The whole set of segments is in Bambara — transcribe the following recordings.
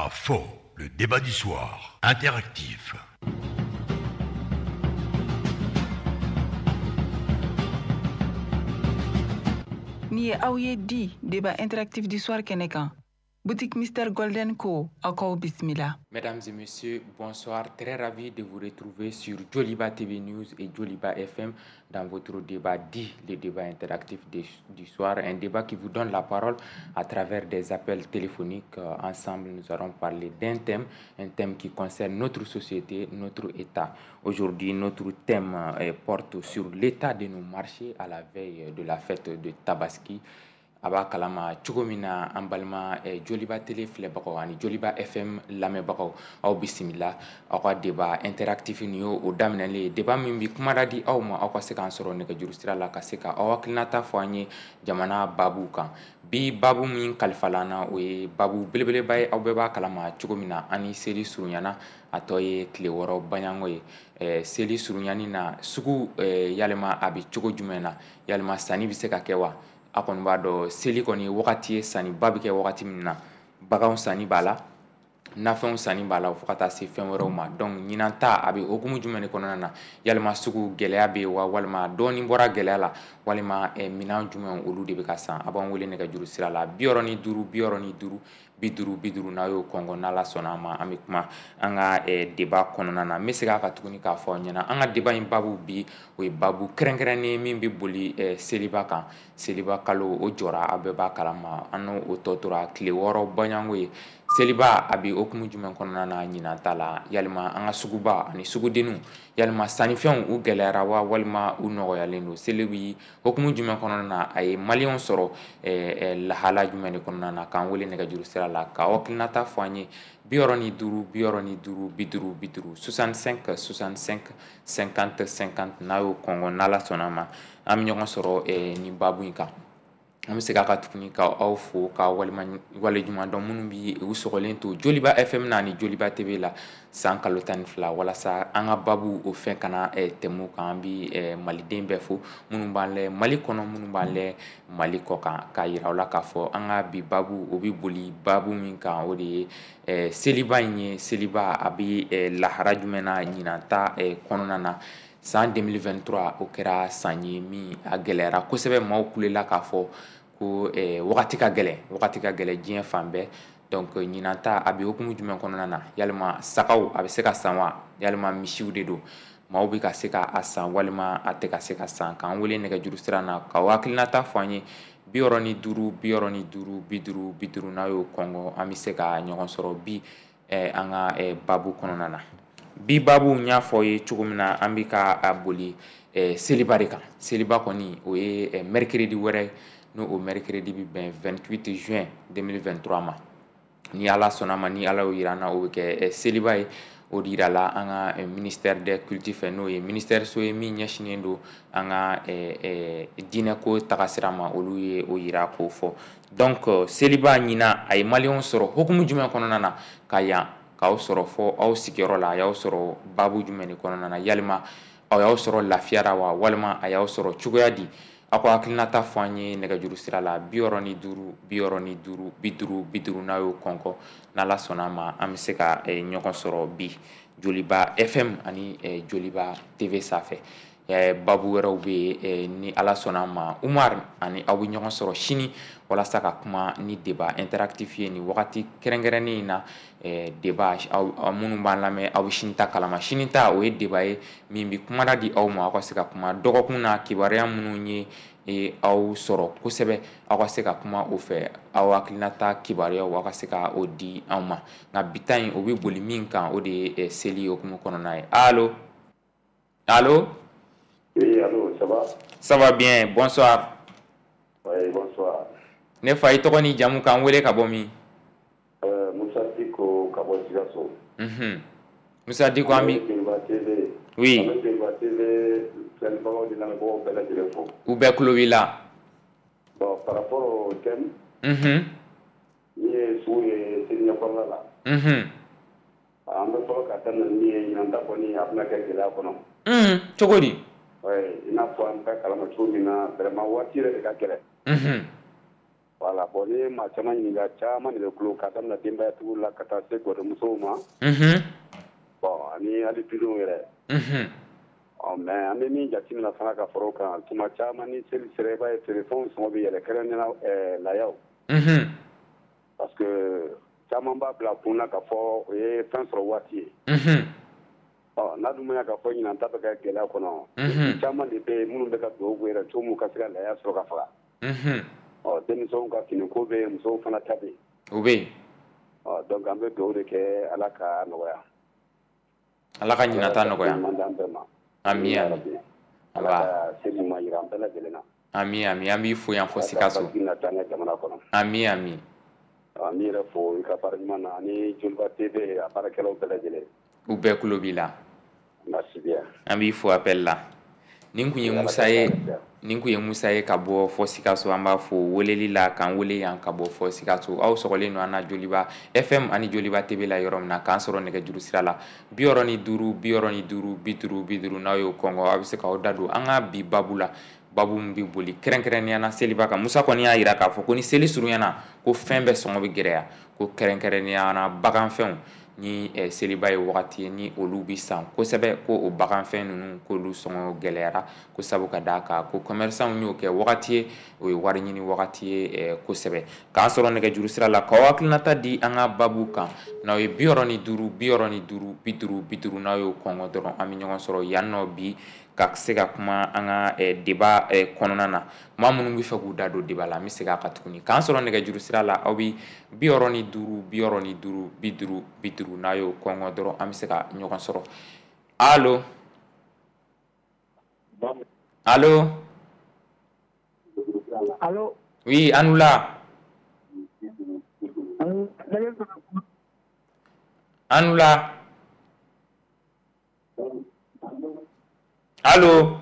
À fond, le débat du soir, interactif. Ni ye aw ye di débat interactif du soir kɛnɛ kan. Boutique Mister Golden ko aw k'aw bisimila. Mesdames et messieurs, bonsoir. Très ravi de vous retrouver sur Joliba TV News et Joliba FM dans votre débat dit, le débat interactif du soir. Un débat qui vous donne la parole à travers des appels téléphoniques. Ensemble, nous allons parler d'un thème, un thème qui concerne notre société, notre État. Aujourd'hui, notre thème porte sur l'état de nos marchés à la veille de la fête de Tabaski. A b'a kalama cogo min na, an balima Joliba Télé filɛbagaw ani Joliba FM lamɛnbagaw, aw bisimila aw ka débat interactif. Nin y'o o daminɛlen ye, débat min bi kumada di aw ma, aw ka se k'an sɔrɔ nɛgɛjuru sira la, ka se ka aw hakilinata fɔ an ye jamana babu kan. Bi babu min kalifala an na, o ye babu belebeleba ye. Aw bɛɛ b'a kalama cogo min na, an ni seli surunyana, a tɔ ye tile 6 baɲango ye. Seli surunyani na, sugu yalima a bɛ cogo jumɛn na? Yalima sanni bɛ se ka kɛ wa? A kɔni b'a dɔn, seli kɔni wagati ye sanniba bɛ kɛ wagati min na. Baganw sanni b'a la, nafɛnw sanni b'a la, fo ka taa se fɛn wɛrɛw ma. Donc ɲinan ta, a bɛ hokumu jumɛn de kɔnɔna na? Yalima sugu gɛlɛya bɛ yen wa, walima dɔɔni bɔra gɛlɛya la, walima minɛn jumɛn olu de bɛ ka san? A b'an wele nɛgɛjuru sira la, 65 65 50 50. N'a y'o kɔngɔ, n'Ala sɔnna a ma, an bɛ kuma an ka débat kɔnɔna na. N bɛ segin a kan tuguni k'a fɔ aw ɲɛna, an ka débat in babu bi, o ye babu kɛrɛnkɛrɛnnen min bɛ boli seliba kan. Seliba kalo o jɔra, aw bɛɛ b'a kalama, an n'o o tɔ tora tile 6 baɲango ye. Seliba a bɛ hokumu jumɛn kɔnɔna na ɲinan ta la? Yalima an ka suguba ani sugudenninw, yalima sannifɛnw u gɛlɛyara wa, walima u nɔgɔyalen don? Seli bi hokumu jumɛn kɔnɔna na? A ye maliyɛnw sɔrɔ lahala jumɛn de kɔnɔna na? K'an wele nɛgɛjuru sira la k'aw hakilinata fɔ an ye, 65 65 50 50, 65 65 50 50. N'a y'o kɔngɔ, n'Ala sɔnna a ma, an bɛ ɲɔgɔn sɔrɔ nin babu in kan. An bɛ segin a kan tuguni ka aw fo, ka waleɲuman dɔn minnu bi u sɔgɔlen to Joliba FM na ani Joliba TV la san kalo 12, walasa an ka babu o fɛn kana tɛmɛ kan. An bi maliden bɛɛ fo, minnu b'an lɛ Mali kɔnɔ, minnu b'an lɛ Mali kɔ kan, k'a yira aw la k'a fɔ an ka bi babu o bɛ boli babu min kan, o de ye seliba in ye. Seliba a bɛ lahara jumɛn na ɲinan ta kɔnɔna na? San 2023, o kɛra san ye min a gɛlɛyara kosɛbɛ. Maaw kulela k'a fɔ ko wagati ka gɛlɛn, wagati ka gɛlɛn diɲɛ fan bɛɛ. Donc ɲinan ta, a bɛ hokumu jumɛn kɔnɔna na? Yalima sagaw a bɛ se ka san wa, yalima misiw de don, maaw bɛ ka se ka a san, walima a tɛ ka se ka san? K'an wele nɛgɛjuru sira na k'aw hakilinata fɔ an ye, 65 65 50 50. N'a y'o kɔngɔ, an bɛ se ka ɲɔgɔn sɔrɔ bi an ka babu kɔnɔna na. Bi babu, n y'a fɔ aw ye cogo min na, an bɛ ka a boli seliba de kan. Seliba kɔni, o ye mercredi wɛrɛ, n'o o mercredi bɛ bɛn 28 juin 2023 ma. Ni Ala sɔnna ma, ni Ala y'o yira an na, o bɛ kɛ seliba ye. O de yirala an ka ministère des cultes fɛ, n'o ye ministère so ye min ɲɛsinnen don an ka diinɛko tagasira ma. Olu ye o yira k'o fɔ. Donc seliba ɲinan, a ye maliyɛnw sɔrɔ hokumu jumɛn kɔnɔna na ka yan k'aw sɔrɔ fɔ aw sigiyɔrɔ la? A y'aw sɔrɔ babu jumɛn de kɔnɔna na? Yalima aw y'aw sɔrɔ lafiyara wa, walima a y'aw sɔrɔ cogoya di? Aw ka hakilinata fɔ an ye nɛgɛjuru sira la, 65 65 50 50. N'a y'o kɔnkɔ, n'Ala sɔnna a ma, an bɛ se ka ɲɔgɔn sɔrɔ bi Joliba FM ani Joliba TV sanfɛ. Babu wɛrɛw bɛ yen, ni Ala sɔnna a ma, Umar ani aw bɛ ɲɔgɔn sɔrɔ sini walasa ka kuma ni débat interactif ye nin wagati kɛrɛnkɛrɛnnen in na. Débat, aw minnu b'an lamɛn, aw bɛ sini ta kalama. Sini ta, o ye débat ye min bɛ kumada di aw ma, aw ka se ka kuma dɔgɔkun na kibaruya minnu ye aw sɔrɔ kosɛbɛ, aw ka se ka kuma o fɛ, aw hakilinata kibaruyaw, aw ka se ka o di anw ma. Nka bi ta in, o bɛ boli min kan, o de ye seli hokumu kɔnɔna ye. Allo, allo? Oui, allô, ça va? Ça va bien, bonsoir. Oui, bonsoir. Ne fa, i tɔgɔ ni jamu, k'an wele ka bɔ min? Musa Diko ka bɔ Sikaso. Musa Diko, an bi Joliba TV. Oui. An bɛ Joliba TV filɛlibagaw ni lamɛnbagaw bɛɛ lajɛlen fo. U bɛɛ tulo b'i la. Bon, par rapport au thème, min ye sugu ye seli ɲɛkɔrɔla la. An bɛ fɔlɔ ka daminɛ min ye, ɲinan ta kɔni, a bɛna kɛ gɛlɛya kɔnɔ. Cogo di? Ouais, i n'a fɔ an bɛ kalama cogo min na, vraiment waati yɛrɛ de ka gɛlɛn. Voilà, bon ni maa caman ɲininka, caman de bɛ kulo ka daminɛ denbayatigiw la ka taa se gɔdɔmusow ma. Bon, ani hali dudenw yɛrɛ. Ɔ mais an bɛ min jateminɛ fana ka fara o kan, tuma caman ni seli sera, i b'a ye feerefɛnw sɔngɔ bɛ yɛlɛ, kɛrɛnkɛrɛnnenya layaw. Parce que caman b'a bila kun na k'a fɔ o ye fɛn sɔrɔ waati ye. Ɔ n'a dun ma ɲɛ k'a fɔ ɲinan ta bɛ kɛ gɛlɛya kɔnɔ, caman de bɛ yen minnu bɛ ka dugawu k'u yɛrɛ cogo min u ka se ka laya sɔrɔ ka faga. Ɔ denmisɛnw ka finiko bɛ yen, musow fana ta bɛ yen. O bɛ yen. Ɔ donc an bɛ dugawu de kɛ Ala ka nɔgɔya. Ala ka ɲinan ta nɔgɔya. Ami ami. Ala ka seli ɲuman jira an bɛɛ lajɛlen na. Ami ami, an b'i fo yan fo Sikaso. Ami ami. An b'i yɛrɛ fo i ka baara ɲuman na ani Joliba TV a baarakɛlaw bɛɛ lajɛlen. U bɛɛ tulo b'i la. Merci bien. An b'i fo appel la. Nin kun ye Musa ye. Nin kun ye Musa ye ka bɔ fɔ Sikaso. An b'a fo weleli la k'an wele yan ka bɔ fɔ Sikaso. Aw sɔgɔlen don an na Joliba FM ani Joliba TV la yɔrɔ min na, k'an sɔrɔ nɛgɛjuru sira la 65 65 50 50. N'aw y'o kɔngɔ, aw bɛ se k'aw da don an ka bi babu la, babu min bɛ boli kɛrɛnkɛrɛnnenya na seliba kan. Musa kɔni y'a jira k'a fɔ ko ni seli surunyana, ko fɛn bɛɛ sɔngɔ bɛ gɛlɛya, ko kɛrɛnkɛrɛnnenya na baganfɛnw, ni seliba ye wagati ye ni olu bɛ san kosɛbɛ, ko o baganfɛn ninnu k'olu sɔngɔ gɛlɛyara, ko sabu ka d'a kan ko commerçant y'o kɛ wagati ye, o ye wari ɲini wagati ye kosɛbɛ. K'an sɔrɔ nɛgɛjuru sira la k'aw hakilinata di an ka babu kan, n'aw ye 65 65 50 50, n'aw y'o kɔngɔ dɔrɔn, an bɛ ɲɔgɔn sɔrɔ yan nɔ bi ka se ka kuma an ka débat kɔnɔna na. Maa minnu bɛ fɛ k'u da don débat la, an bɛ segin a kan tuguni. K'an sɔrɔ nɛgɛjuru sira la, aw bɛ 65 65 50 50, n'a y'o kɔngɔ dɔrɔn, an bɛ se ka ɲɔgɔn sɔrɔ. Allo, allo. Allo. Oui, an wula. An wula. Allo.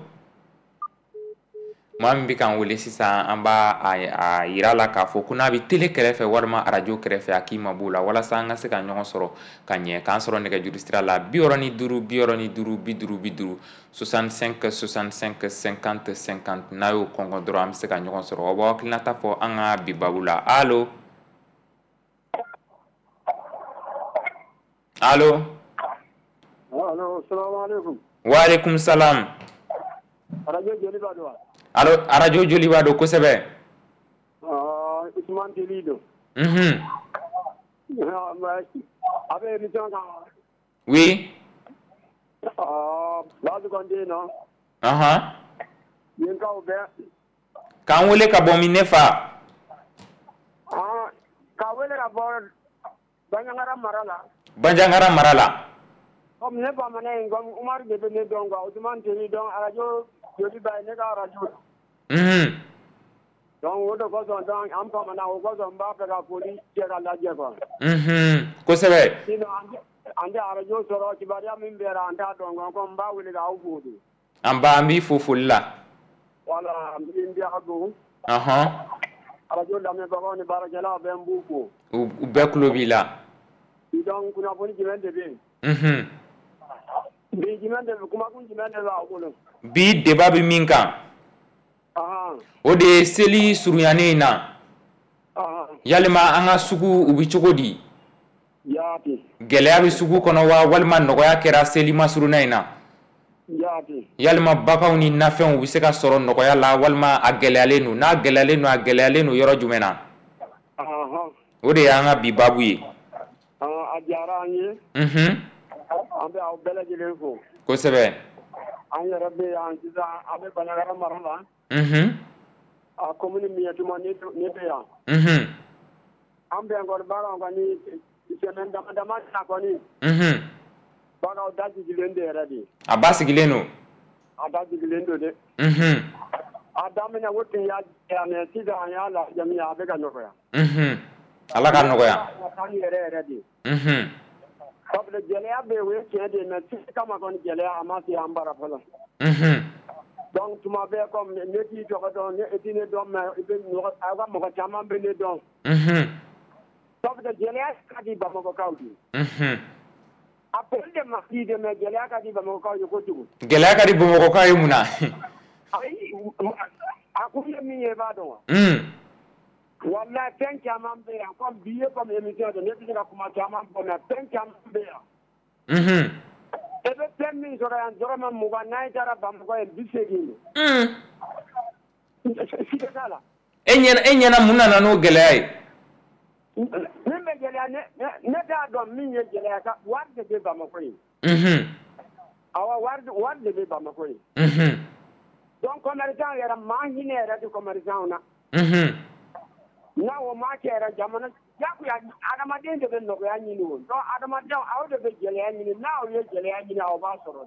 Maa min bɛ k'an wele sisan, an b'a a yira la k'a fɔ ko n'a bɛ télé kɛrɛfɛ walima arajo kɛrɛfɛ, a k'i mabɔ o la walasa an ka se ka ɲɔgɔn sɔrɔ ka ɲɛ. K'an sɔrɔ nɛgɛjuru sira la 65 65 50 50, 65 65 50 50, n'a y'o kɔngɔ dɔrɔn, an bɛ se ka ɲɔgɔn sɔrɔ. Aw b'aw hakilinata fɔ an ka bi babu la. Allo, allo. Allo, salamu aleykum. Wa aleykum salam. Arajo Joliba don wa? Allo, arajo Joliba don kosɛbɛ. Usumani Teli don. A bɛ émission kan. Oui. Baasi kɔni tɛ yen nɔ. Yen kaw bɛɛ. K'an wele ka bɔ min ne fa? K'a wele ka bɔ Banjagara mara la. Banjagara mara la. Comme ne bamanan in, comme Umaru de bɛ ne dɔn quoi, Usumani Teli dɔn, arajo Joliba ye ne ka arajo. Donc o de kosɔn, donc an bamanan, o kosɔn n b'a fɛ ka foli kɛ ka lajɛ quoi. Kosɛbɛ. Sinon an tɛ arajo sɔrɔ, kibaruya min bɛra an t'a dɔn quoi, comme n b'a wele k'aw fo de. An ba, an b'i fo foli la. Voilà, n bɛ aw fo. Arajo lamɛnbagaw ni baarakɛlaw bɛɛ, n b'u fo. U bɛɛ tulo b'i la. Donc kunnafoni jumɛn de bɛ yen? Bi jumɛn de bɛ, kumakun jumɛn de b'aw bolo? Bi débat bɛ min kan, o de ye seli surunyanen in na, yalima an ka sugu u bɛ cogo di? Gɛlɛya bɛ sugu kɔnɔ wa, walima nɔgɔya kɛra seli masurunna in na? Yalima baganw ni nafɛnw u bɛ se ka sɔrɔ nɔgɔya la, walima a gɛlɛyalen don? N'a gɛlɛyalen don, a gɛlɛyalen don yɔrɔ jumɛn na? O de y'an ka bi baabu ye. A diyara an ye. An bɛ aw bɛɛ lajɛlen fo. Kosɛbɛ. An yɛrɛ bɛ yan sisan, an bɛ Banjagara mara la. A commune Miɲɛtuma ne bɛ yan. An bɛ yan kɔni, baganw kɔni, semaine dama dama na kɔni. Baganw da sigilen de yɛrɛ de. A ba sigilen don. A da sigilen don dɛ. A daminɛ o tun y'a gɛlɛya, mais sisan an y'a lajɛ min a bɛ ka nɔgɔya. Ala ka nɔgɔya. An yɛrɛ yɛrɛ de. Parce que gɛlɛya bɛ yen, o ye tiɲɛ de ye, mais seli kama kɔni gɛlɛya a ma se an bara fɔlɔ. Donc tuma bɛɛ, comme ne t'i tɔgɔ dɔn, ne t'i ne dɔn, mais i bɛ mɔgɔ, aw ka mɔgɔ caman bɛ ne dɔn. Parce que gɛlɛya ka di Bamakɔkaw ye. A prix de ma di de, mais gɛlɛya ka di Bamakɔkaw ye kojugu. Gɛlɛya ka di Bamakɔkaw ye mun na? Ayi, a kun ye min ye, i b'a dɔn wa? Walahi, fɛn caman bɛ yan, comme bi ye, comme émission don, ne tɛ se ka kuma caman fɔ, mais fɛn caman bɛ yan. E bɛ fɛn min sɔrɔ yan dɔrɔmɛ 20, n'a taara Bamakɔ yen, 80. Siga t'a la. E ɲɛna mun nana n'o gɛlɛya ye? Min bɛ gɛlɛya, ne t'a dɔn min ye gɛlɛya ka wari de bɛ Bamakɔ yen. Awɔ, wari de bɛ Bamakɔ yen. Donc commerçant yɛrɛ, maa hinɛ yɛrɛ tɛ commerçant na. N'a o ma kɛ yɛrɛ, jamana jagoya, adamaden de bɛ nɔgɔya ɲini o. Donc adamadenw, aw de bɛ gɛlɛya ɲini, n'aw ye gɛlɛya ɲini, aw b'a sɔrɔ.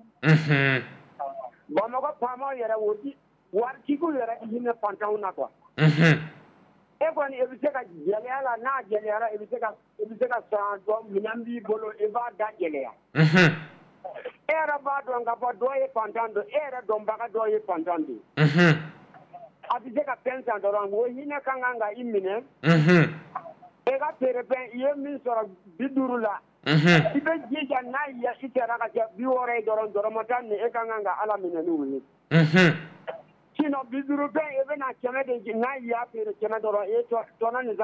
Bamakɔ faamaw yɛrɛ, o di waritigiw yɛrɛ hinɛ fantanw na quoi. E kɔni, i bɛ se ka gɛlɛya la, n'a gɛlɛyara, i bɛ se ka san dɔ minɛn b'i bolo, i b'a da gɛlɛya. E yɛrɛ b'a dɔn k'a fɔ dɔ ye fantan don, e yɛrɛ dɔnbaga dɔ ye fantan don. A bɛ se ka fɛn san dɔrɔn, o hinɛ ka kan ka i minɛ. E ka feere fɛn, i ye min sɔrɔ 50 la, i bɛ jija n'a ye i sera ka kɛ 60 ye dɔrɔn, dɔrɔmɛ 10 nin, e ka kan ka Ala minɛ n'o ye. Sinon 50 fɛn, i bɛna 100 de, n'a y'a feere 100 dɔrɔn, e tɔnɔ nin,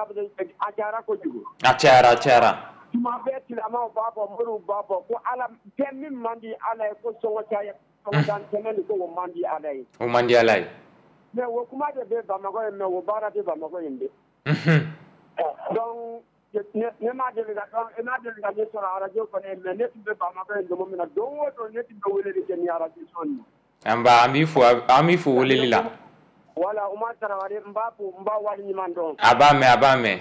a cayara kojugu. A cayara, a cayara. Tuma bɛɛ silamɛw b'a fɔ, moriw b'a fɔ ko Ala fɛn min man di Ala ye, ko sɔngɔ caya, sɔngɔ dan tɛmɛ nin, ko o man di Ala ye. O man di Ala ye. Mais o kuma de bɛ Bamakɔ yen, mais o baara tɛ Bamakɔ yen dɛ. Donc ne ma deli ka, ne ma deli ka ne sɔrɔ arajo kɔnɔ, mais ne tun bɛ Bamakɔ yen don min na, don o don ne tun bɛ weleli kɛ ni arajo son ye. An b'a an b'i fo, an b'i fo weleli la. Voilà, Umar Tarawele, n b'a fo, n b'a waleɲuman dɔn. A b'a mɛn, a b'a mɛn.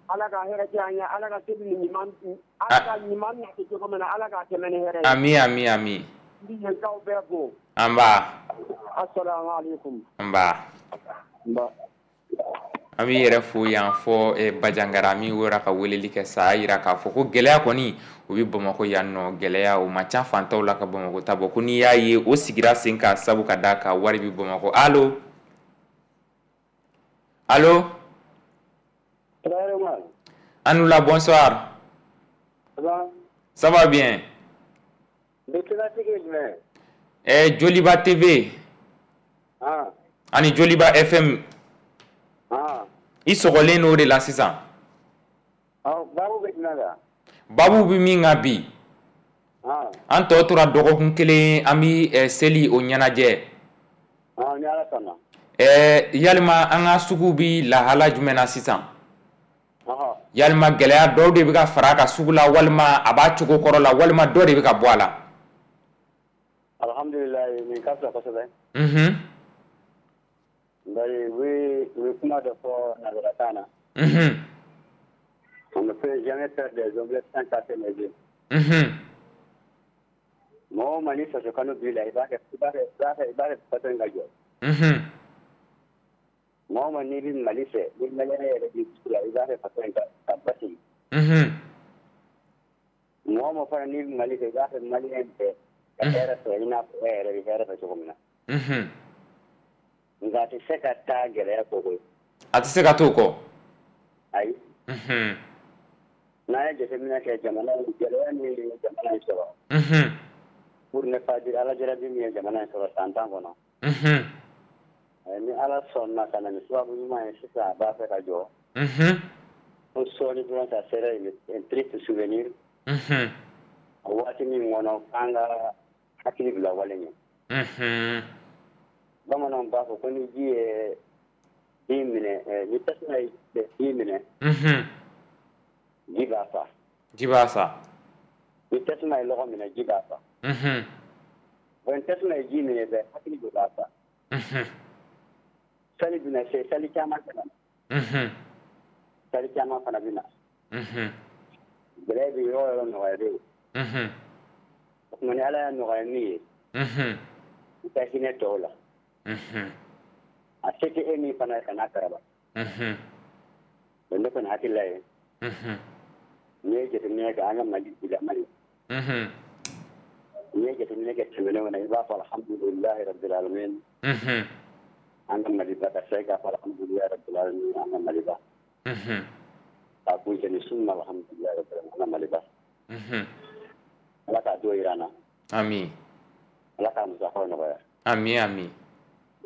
Ala ka hɛrɛ kɛ an ye, Ala ka seli ni ɲuman, Ala ka ɲuman nati cogo min na, Ala k'a tɛmɛ ni hɛrɛ ye. Ami, ami, ami. N bɛ yenkaw bɛɛ fo. An ba. Assalamu alaikum. An ba. N ba. An b'i yɛrɛ fo yan fɔ Bajangara min wera ka weleli kɛ sa, a yira k'a fɔ ko gɛlɛya kɔni o bɛ Bamakɔ yan nɔ. Gɛlɛya o man ca fantanw la ka Bamakɔ ta bɔ, ko n'i y'a ye o sigira sen kan, sabu ka d'a kan wari bɛ Bamakɔ. Allo, allo. Anoula, bonsoir. Ça va? Ça va bien. Le thématique est jumɛn? Joliba TV. Ani Joliba FM. I sɔgɔlen n'o de la sisan. Babu bɛ jumɛn kan? Babu bɛ min kan bi, an tɔ tora dɔgɔkun kelen, an bɛ seli o ɲɛnajɛ. Ni Ala sɔnna. Yalima an ka sugu bi lahala jumɛn na sisan? Yalima gɛlɛya dɔw de bɛ ka fara a kan sugu la, walima a b'a cogo kɔrɔ la, walima dɔ de bɛ ka bɔ a la? Alhamdulilayi, nin ka fisa kosɛbɛ. Bari u bɛ kuma dɔ fɔ nanzarakan na. On ne peut jamais faire des omelettes sans casser les œufs. Mɔgɔ o maa, ni faso kanu b'i la, i b'a kɛ faso in ka jɔ. Mɔgɔ o maa, n'i bɛ Mali fɛ, ni maliyɛn yɛrɛ b'i dusu la, i b'a fɛ faso in ka basigi. Mɔgɔ o mɔgɔ fana, n'i bɛ Mali fɛ, i b'a fɛ maliyɛn bɛɛ ka hɛrɛ sɔrɔ i n'a fɔ e yɛrɛ bɛ hɛrɛ fɛ cogo min na. Nka a tɛ se ka taa gɛlɛya kɔ koyi. A tɛ se ka t'o kɔ. Ayi. N'an ye jateminɛ kɛ, jamana in, gɛlɛya min ye jamana in sɔrɔ. Pour ne pas dire Ala jarabi min ye jamana in sɔrɔ san 10 kɔnɔ. Ni Ala sɔnna ka na ni sababu ɲuman ye sisan, a b'a fɛ ka jɔ. Ko sɔɔni dɔrɔn, ça serait un triste souvenir. O waati min kɔnɔ, k'an ka hakili bila wale ɲɛ. Bamananw b'a fɔ ko ni ji ye bin minɛ, ni tasuma ye bin minɛ, ji b'a fa. Ji b'a sa. Ni tasuma ye lɔgɔ minɛ, ji b'a fa. Bon, ni tasuma ye ji minɛ bɛɛ, hakili de b'a fa. Sali bɛna se, sali caman bɛ na. Sali caman fana bɛ na. Gɛlɛya bɛ yɔrɔ o yɔrɔ, nɔgɔya bɛ yen. O tuma ni Ala y'a nɔgɔya min ye, i ka hinɛ tɔw la. A se tɛ e min fana ye, kana karaba. Bon, ne kɔni hakilila ye, n'i ye jateminɛ kɛ an ka Mali bilama ye, n'i ye jateminɛ kɛ tɛmɛnenw na, i b'a fɔ alhamdulilahi rabbil alamin. An ka Maliba ka se k'a fɔ alhamdulilahi rabbil alamin, an ka Maliba. K'a kun ni sun, alhamdulilahi rabbil alamin, an ka Maliba. Ala k'a don jira an na. Ami. Ala k'a musakaw nɔgɔya. Ami, ami.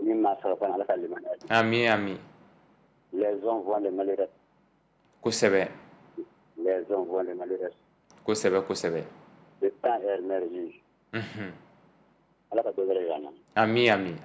Ni maa sɔrɔ fana, Ala ka limaniya di. Ami, ami. Les uns voient les malheureux. Kosɛbɛ. Les uns voient les malheureux. Kosɛbɛ, kosɛbɛ. Le temps est merveilleux. Ala ka dɔ wɛrɛ yira an na. Ami, ami.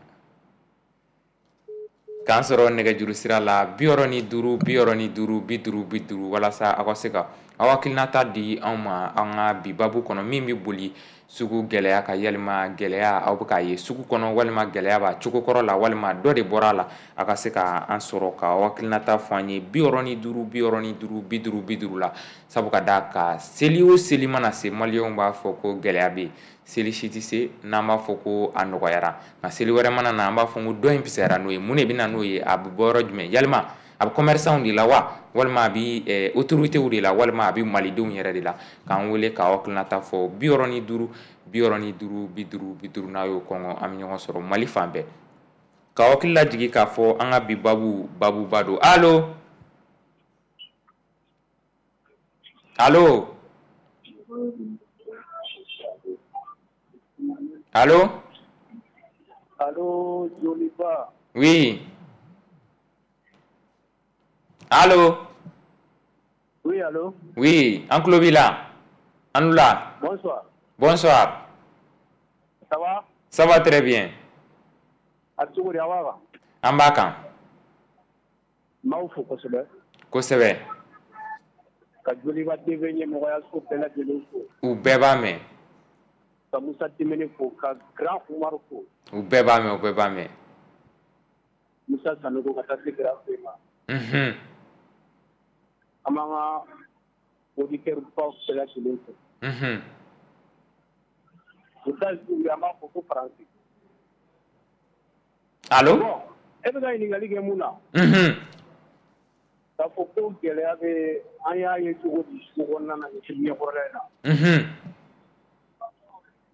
K'an sɔrɔ nɛgɛjuru sira la 65 65 50 50, walasa aw ka se ka aw hakilinata di anw ma an ka bi babu kɔnɔ, min bɛ boli sugu gɛlɛya ka. Yalima gɛlɛya aw bɛ k'a ye sugu kɔnɔ, walima gɛlɛya b'a cogo kɔrɔ la, walima dɔ de bɔra a la? A ka se ka an sɔrɔ ka aw hakilinata fɔ an ye 65 65 50 50 la. Sabu ka d'a kan, seli o seli mana se, maliyɛnw b'a fɔ ko gɛlɛya bɛ yen. Seli si tɛ se n'an b'a fɔ ko a nɔgɔyara, nka seli wɛrɛ mana na, an b'a fɔ ko dɔ in fisayara n'o ye. Mun de bɛ na n'o ye? A bɛ bɔ yɔrɔ jumɛn? Yalima a bɛ commerçant de la wa, walima a bɛ autorités de la, walima a bɛ malidenw yɛrɛ de la? K'an wele k'aw hakilinata fɔ 65 65 50 50. N'a y'o kɔngɔ, an bɛ ɲɔgɔn sɔrɔ Mali fan bɛɛ. K'aw hakili lajigin k'a fɔ an ka bi babu, babuba don. Allo, allo, allo. Allo, Joliba. Oui. Allo. Oui, allo. Oui, an tulo b'i la. An la. Bonsoir. Bonsoir. Ça va? Ça va très bien. A cogo di, a b'a kan? An b'a kan. N b'aw fo kosɛbɛ. Kosɛbɛ. Ka Joliba TV ɲɛmɔgɔyaso bɛɛ lajɛlen fo. U bɛɛ b'a mɛn. Ka Musa Timɛni fo, ka Grand Umaru fo. U bɛɛ b'a mɛn, u bɛɛ b'a mɛn. Musa Sanogo ka taa se Grand Fɛ ma. An b'an ka auditeur baw bɛɛ lajɛlen fo. États-Unis, an b'a fɔ ko Faransi. Allo. Bon, e bɛ ka ɲininkali kɛ mun na? K'a fɔ ko gɛlɛya bɛ, an y'a ye cogo di sugu kɔnɔna na nin seli ɲɛkɔrɔla in na?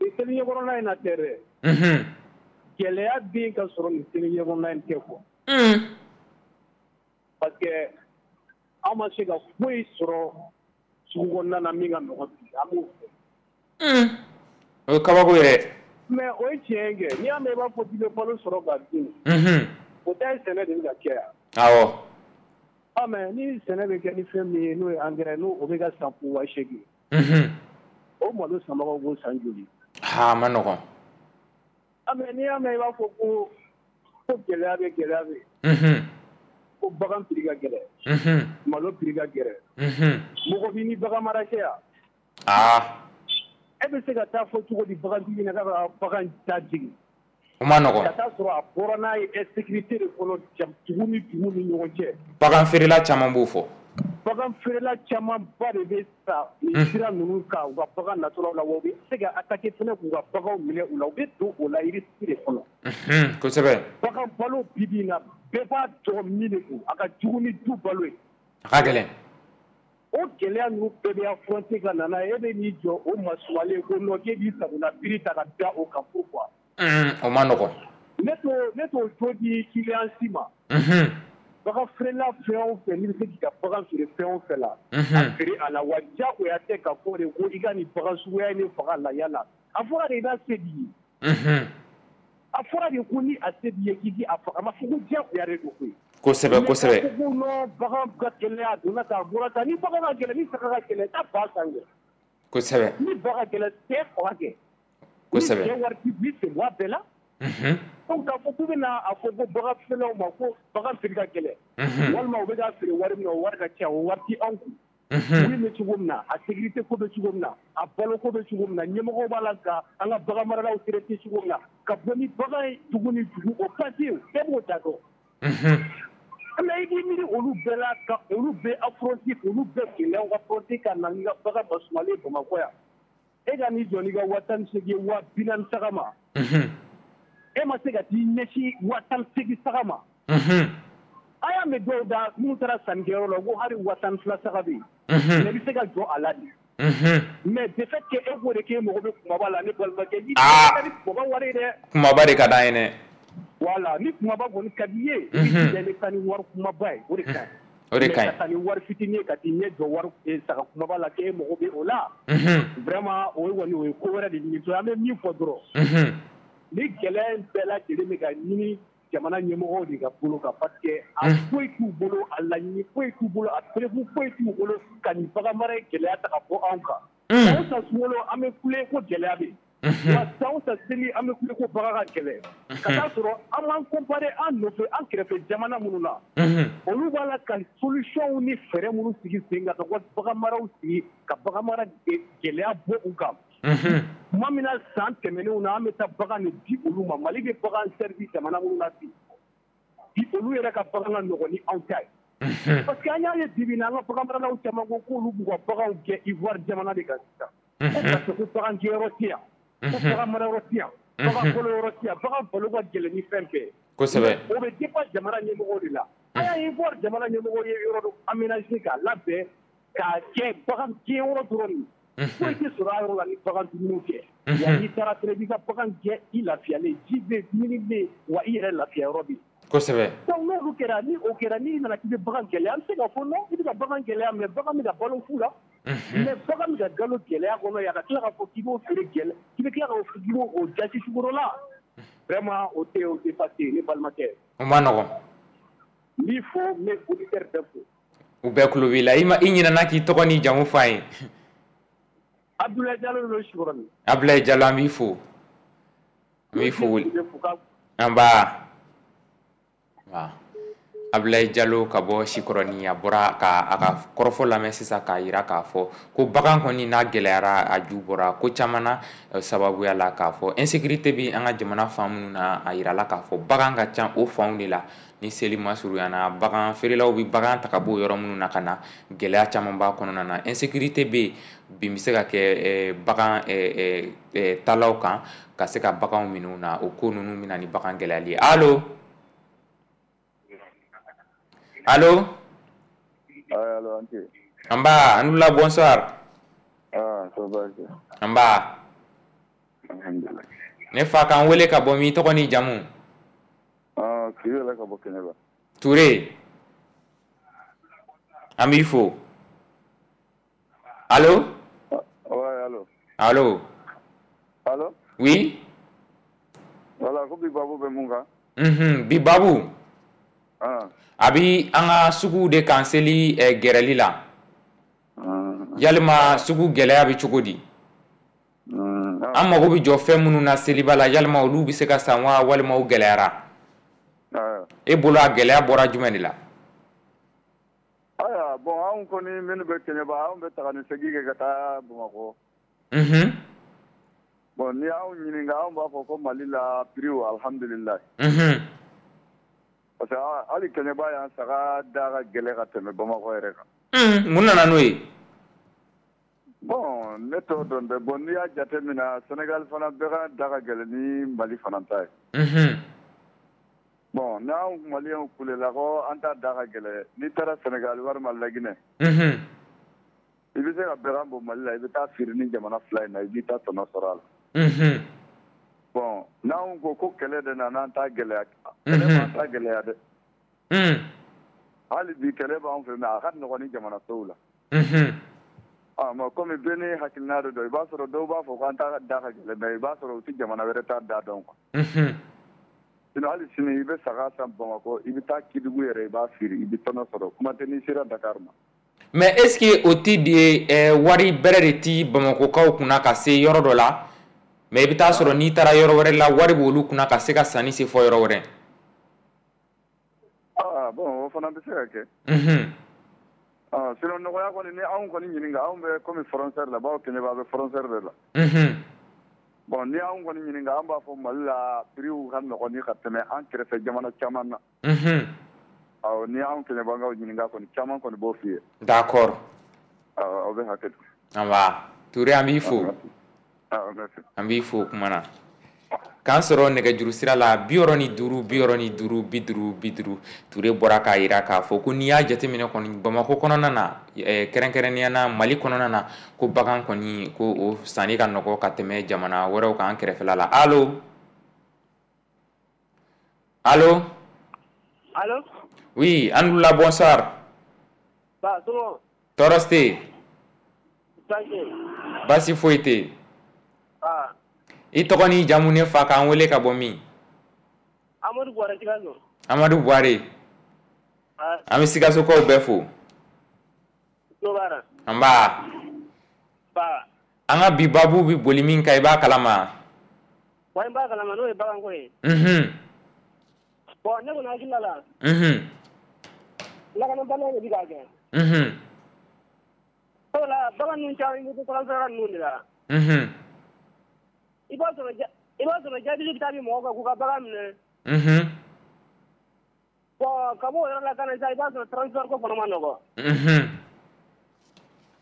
Nin seli ɲɛkɔrɔla in na tɛ dɛ. Gɛlɛya bɛ yen ka sɔrɔ nin seli ɲɛkɔrɔla in tɛ quoi. Parce que an ma se ka foyi sɔrɔ sugu kɔnɔna na min ka nɔgɔn bi, an b'o fɔ. O ye kabako yɛrɛ. Mais o ye tiɲɛ ye kɛ, n'i y'a mɛn i b'a fɔ k'i bɛ balo sɔrɔ ka dun. O ta ye sɛnɛ de bɛ ka kɛ yan. Awɔ. Ah, mais ni sɛnɛ bɛ kɛ ni fɛn min ye, n'o ye engrais, n'o o bɛ ka san fo 8000. O malo sanbagaw b'o san joli? Ha, a ma nɔgɔn. Ah, mais n'i y'a mɛn i b'a fɔ ko gɛlɛya bɛ, gɛlɛya bɛ. Ko bagan prix ka gɛlɛn. Malo prix ka gɛlɛn. Mɔgɔ b'i ni bagan mara cɛ yan. Aa. E bɛ se ka taa fɔ cogo di bagantigi ɲɛna k'a ka bagan ta jigin? O ma nɔgɔn. Ka taa sɔrɔ a bɔra n'a ye insécurité de kɔnɔ, dugu ni dugu ni ɲɔgɔn cɛ. Bagan feerela caman b'o fɔ. Bagan feerela camanba de bɛ sa nin sira ninnu kan u ka bagan natɔlaw la, wa u bɛ se ka attaquer fɛnɛ k'u ka baganw minɛ u la, u bɛ don o la risque de kɔnɔ. Kosɛbɛ. Bagan balo bi bi in na, bɛɛ b'a dɔn min de don, a ka jugu ni du balo ye. A ka gɛlɛn. O gɛlɛya ninnu bɛɛ bɛ affronter ka na n'a ye, e bɛ n'i jɔ o masumalen ko non, k'e b'i sagona prix ta ka da o kan, pourquoi? O ma nɔgɔn. Ne t'o jo di client si ma. Bagan feerela fɛn o fɛn, n'i bɛ se k'i ka bagan feere fɛn o fɛn la, a feere a la, wa diyagoya tɛ ka fɔ de ko i ka nin bagan suguya in de faga la la. A fɔra de i b'a se b'i ye. A fɔra de ko ni a se b'i ye k'i k'i a faga, a ma fɔ ko diyagoya de don koyi. Kosɛbɛ, kosɛbɛ. Mais ko non, bagan ka gɛlɛn, a donna tan, a bɔra tan, ni bagan ka gɛlɛn, ni saga ka gɛlɛn, taa ba san kɛ. Kosɛbɛ. Ni ba ka gɛlɛn, sɛ faga kɛ. Kosɛbɛ. Ni sɛ wari t'i bolo, i sen bɔ a bɛɛ la. Donc k'a fɔ k'u bɛna a fɔ ko bagan feerelaw ma ko bagan prix ka gɛlɛn. Walima u bɛ ka feere wari min na, o wari ka ca, o wari tɛ anw kun. Wuli bɛ cogo min na, a sécurité ko bɛ cogo min na, a balo ko bɛ cogo min na, ɲɛmɔgɔw b'a la ka an ka bagan maralaw traiter cogo min na, ka bɔ ni bagan ye dugu ni dugu, o ka di bɛɛ b'o da dɔn. Mais i b'i miiri olu bɛɛ la, ka olu bɛɛ affronter, olu bɛɛ gɛlɛyaw affronter ka na n'i ka bagan masumalen Bamakɔ yan. E ka n'i jɔ n'i ka 18 000 ye, 40 000 saga ma. E ma se ka t'i ɲɛsin 18 000 saga ma. A y'a mɛn dɔw da minnu taara sannikɛyɔrɔ la ko hali 12 000 saga bɛ yen. Mais i bɛ se ka jɔ a la de. Mais de fait que e k'o de k'e mago bɛ kumaba la, ne balimakɛ, i tɛ ni kumaba wari ye dɛ. Kumaba de ka d'an ye dɛ. Voilà, ni kumaba kɔni ka di i ye, i bɛ jija i bɛ taa ni wari kumaba ye, o de ka ɲi. O de ka ɲi. Mais ka taa ni wari fitinin ye ka t'i ɲɛ jɔ wari saga kumaba la k'e mago bɛ o la. Vraiment, o kɔni o ye ko wɛrɛ de ɲini. An bɛ min fɔ dɔrɔn. Ni gɛlɛya in bɛɛ lajɛlen bɛ ka ɲini jamana ɲɛmɔgɔw de ka bolo kan, parce que a foyi t'u bolo, a laɲini foyi t'u bolo, a preuve foyi t'u bolo ka nin bagan mara gɛlɛya ta ka bɔ anw kan. San o san sunkalo an bɛ kule ko gɛlɛya bɛ yen. Wa san o san seli an bɛ kule ko bagan ka gɛlɛn. Ka taa sɔrɔ an b'an comparer an nɔfɛ, an kɛrɛfɛ jamana minnu na, olu b'a la ka solution ni fɛɛrɛ minnu sigi sen kan ka bagan maraw sigi ka bagan mara gɛlɛya bɔ u kan. Tuma min na san tɛmɛnenw na, an bɛ taa bagan de di olu ma. Mali bɛ bagan servi jamana minnu na bi, olu yɛrɛ ka bagan ka nɔgɔn ni anw ta ye. Parce que an y'a ye bi bi in na, an ka bagan maralaw caman ko k'olu b'u ka baganw gɛn Ivoire jamana de kan sisan. Ko parce que ko bagan gɛnyɔrɔ tɛ yan, ko bagan marayɔrɔ tɛ yan, bagan balo yɔrɔ tɛ yan, bagan balo ka gɛlɛn ni fɛn bɛɛ ye. O bɛ dépend jamana ɲɛmɔgɔw de la. An y'a ye Ivoire jamana ɲɛmɔgɔw ye yɔrɔ dɔ aménager k'a labɛn k'a kɛ bagan gɛnyɔrɔ dɔrɔn de ye. Foyi tɛ sɔrɔ a yɔrɔ la ni bagan dumuniw tɛ. Wa n'i taara fɛnɛ, i b'i ka bagan gɛn i lafiyalen, ji bɛ yen, dumuni bɛ yen, wa i yɛrɛ lafiya yɔrɔ bɛ yen. Donc n'olu kɛra, ni o kɛra, n'i nana k'i bɛ bagan gɛlɛya, an bɛ se k'a fɔ non, i bɛ ka bagan gɛlɛya, mais bagan bɛ ka balo fu la. Mais bagan bɛ ka balo gɛlɛya kɔnɔ yan, ka tila k'a fɔ k'i b'o feere gɛlɛ, k'i bɛ tila k'o k'i b'o jasi sukoro la. Vraiment, o tɛ passer, ne balimakɛ. O ma nɔgɔn. N b'i fo, n bɛ auditeur bɛɛ fo. U bɛɛ tulo b'i la. I ma i ɲinɛna k'i tɔgɔ ni jamu fɔ an ye. Abdoulaye Diallo don Sikɔrɔni. Abdoulaye Diallo, an b'i fo. An b'i fo. An ba. Abdoulaye Diallo ka bɔ Sikɔrɔni, a bɔra ka a ka kɔrɔfɔ lamɛn sisan k'a yira k'a fɔ ko bagan kɔni n'a gɛlɛyara, a ju bɔra ko caman na, sababuya la k'a fɔ insécurité bɛ an ka jamana fan minnu na. A yirala k'a fɔ bagan ka ca o fanw de la. Ni seli masurunyana, bagan feerelaw bɛ bagan ta ka bɔ yɔrɔ minnu na ka na, gɛlɛya caman b'a kɔnɔna na. Insécurité bɛ yen bin bɛ se ka kɛ bagan talaw kan ka se ka baganw minɛ u na. O ko ninnu bɛ na ni bagan gɛlɛyali ye. Allo, allo. Allo, an ce. Nba, an wula, bonsoir. Ah, ça va bien. Nba. Alhamdulillah. Ne fa, k'an wele ka bɔ min? Tɔgɔ ni jamu? Ah, Touré la ka bɔ Kɛɲɛba. Touré, an b'i fo. Allo. Ouais, allo. Allo. Allo. Oui. Voilà, ko bi babu bɛ mun kan? Bi babu. Ah. A bi an ka suguw de kan seli gɛrɛli la. Yalima sugu gɛlɛya bɛ cogo di? An mago bɛ jɔ fɛn minnu na seliba la, yalima olu bɛ se ka san wa, walima u gɛlɛyara? E bolo, a gɛlɛya bɔra jumɛn de la? Ayiwa, bon, anw kɔni minnu bɛ Kɛɲɛba, anw bɛ taga ni segin kɛ ka taa Bamakɔ. Bon, ni y'anw ɲininka, anw b'a fɔ ko Mali la prix, alhamdulilayi. Parce que hali Kɛɲɛba yan, saga da ka gɛlɛn ka tɛmɛ Bamakɔ yɛrɛ kan. Mun nana n'o ye? Bon, ne t'o dɔn dɛ. Bon, n'i y'a jate minɛ, Sénégal fana bɛɛ da ka gɛlɛn ni Mali fana ta ye. Bon, n'anw maliyɛnw kulela ko an ta da ka gɛlɛn, n'i taara Sénégal walima Laginɛ, i bɛ se ka bɛgan bɔ Mali la, i bɛ taa feere ni jamana fila in na, i b'i ta tɔnɔ sɔrɔ a la. Bon, n'anw ko ko kɛlɛ de nana an ta gɛlɛya, kɛlɛ m'an ta gɛlɛya dɛ. Hali bi kɛlɛ b'an fɛ, mais a ka nɔgɔn ni jamana tɔw la. Ah, mais komi bɛɛ ni hakilina de don, i b'a sɔrɔ dɔw b'a fɔ k'an ta da ka gɛlɛn, mais i b'a sɔrɔ u tɛ jamana wɛrɛ ta da dɔn quoi. Sinon hali sini i bɛ saga san Bamakɔ, i bɛ taa Kédougou yɛrɛ, i b'a feere, i bɛ tɔnɔ sɔrɔ. Kuma tɛ n'i sera Dakar ma. Mais est ce que o ti de wari bɛrɛ de ti Bamakɔkaw kunna ka se yɔrɔ dɔ la, mais i bɛ taa sɔrɔ n'i taara yɔrɔ wɛrɛ la, wari b'olu kunna ka se ka sanni se fɔ yɔrɔ wɛrɛ? Ah bon, o fana bɛ se ka kɛ. Ah, sinon nɔgɔya kɔni, ni anw kɔni ɲininka, anw bɛ comme frontière la, bawo Kɛɲɛba bɛ frontière de la. Bon, ni anw kɔni ɲininka, an b'a fɔ Mali la prix ka nɔgɔn ni ka tɛmɛ an kɛrɛfɛ jamana caman na. Awɔ, ni anw Kɛɲɛbakaw ɲininka kɔni, caman kɔni b'o f'i ye. D'accord. Awɔ, aw bɛ hakɛ to. Nba Touré, an b'i fo. Ah, merci. An b'i fo kuma na. K'an sɔrɔ nɛgɛjuru sira la 65 65 50 50. Touré bɔra k'a yira k'a fɔ ko n'i y'a jateminɛ kɔni, Bamakɔ kɔnɔna na, kɛrɛnkɛrɛnnenya na Mali kɔnɔna na, ko bagan kɔni, ko o sanni ka nɔgɔ ka tɛmɛ jamana wɛrɛw kan kɛrɛfɛla la. Allo, allo. Allo. Oui, an wulila, bonsoir. Ba, somɔgɔw? Tɔɔrɔ tɛ yen. Baasi? Baasi foyi tɛ yen. Ah. I tɔgɔ n'i jamu, ne fa, k'an wele ka bɔ min? An Amadu Buware Sikaso. Amadu Buware. An bɛ Sikasokaw bɛɛ fo. Nba. An ka bi baabu bɛ boli min kan, i b'a kalama? Wa, n b'a kalama, n'o ye baganko ye. Bon, ne kɔni hakilina la. Lakanabaliya de bɛ k'a kɛ. Sabula bagan ninnu caman bɛ to transfert ninnu de la. I b'a sɔrɔ jabili bɛ taa bin mɔgɔw kan k'u ka bagan minɛ. Bon, ka bɔ o yɔrɔ la ka na sisan, i b'a sɔrɔ transfert ko fana ma nɔgɔn.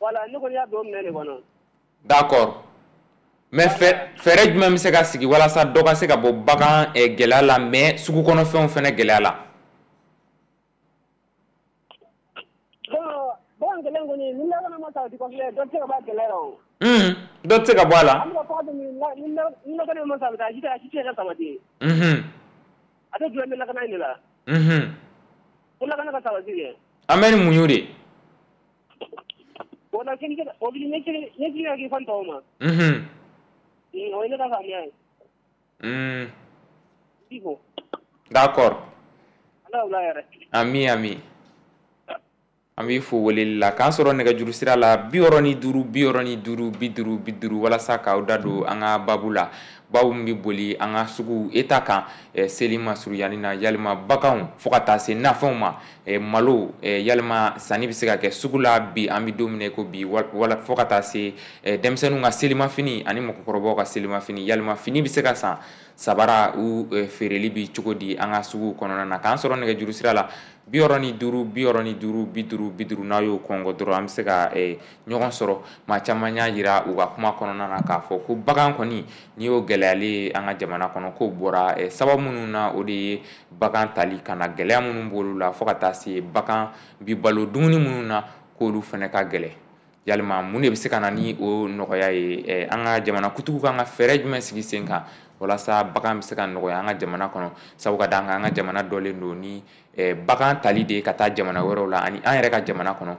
Voilà, ne kɔni y'a don o minɛn de kɔnɔ. D'accord. Mais fɛɛrɛ jumɛn bɛ se ka sigi walasa dɔ ka se ka bɔ bagan gɛlɛya la, mais sugu kɔnɔfɛnw fana gɛlɛya la? Bon, bagan gɛlɛya kɔni, ni lakana ma sabati kosɛbɛ, dɔ tɛ se ka bɔ a gɛlɛya la o. Dɔ tɛ se ka bɔ a la. An bɛ ka fɔ ni lakana ma sabati, a si tɛ se ka sabati. A tɛ dulon bɛ lakana in de la. Ko lakana ka sabati kɛ. An bɛ ni muɲu de. O la o bɛ ɲɛsigi ka k'i fan tɔw ma. O ye ne ka faamuya ye. D'accord. Ala wula yɛrɛ. Ami ami. An b'i fo weleli la k'an sɔrɔ nɛgɛjuru sira la 65 65 50 50 walasa k'aw da don an ka baabu la. Babu min bɛ boli an ka sugu État kan seli masuruyani na, yalima baganw fo ka taa se nafɛnw ma, malo, yalima sanni bɛ se ka kɛ sugu la bi, an bɛ don min na i ko bi, wala fo ka taa se denmisɛnninw ka selimafini ani mɔgɔkɔrɔbaw ka selimafini, yalima fini bɛ se ka san, sabara u feereli bɛ cogo di an ka sugu kɔnɔna na. K'an sɔrɔ nɛgɛjuru sira la 65 65 50 50, n'a y'o kɔngɔ dɔrɔn an bɛ se ka ɲɔgɔn sɔrɔ. Maa caman y'a jira u ka kuma kɔnɔna na k'a fɔ ko bagan kɔni n'i y'o gɛlɛyalen an ka jamana kɔnɔ, k'o bɔra sababu minnu na, o de ye bagan tali ka na gɛlɛya minnu b'olu la, fo ka taa se bagan bi balo dumuni minnu na, k'olu fana ka gɛlɛn. Yalima mun de bɛ se ka na ni o nɔgɔya ye? An ka jamana kutigiw kan ka fɛɛrɛ jumɛn sigi sen kan walasa bagan bɛ se ka nɔgɔya an ka jamana kɔnɔ? Sabu ka d'a kan an ka jamana dɔlen don ni bagan tali de ye ka taa jamana wɛrɛw la ani an yɛrɛ ka jamana kɔnɔ,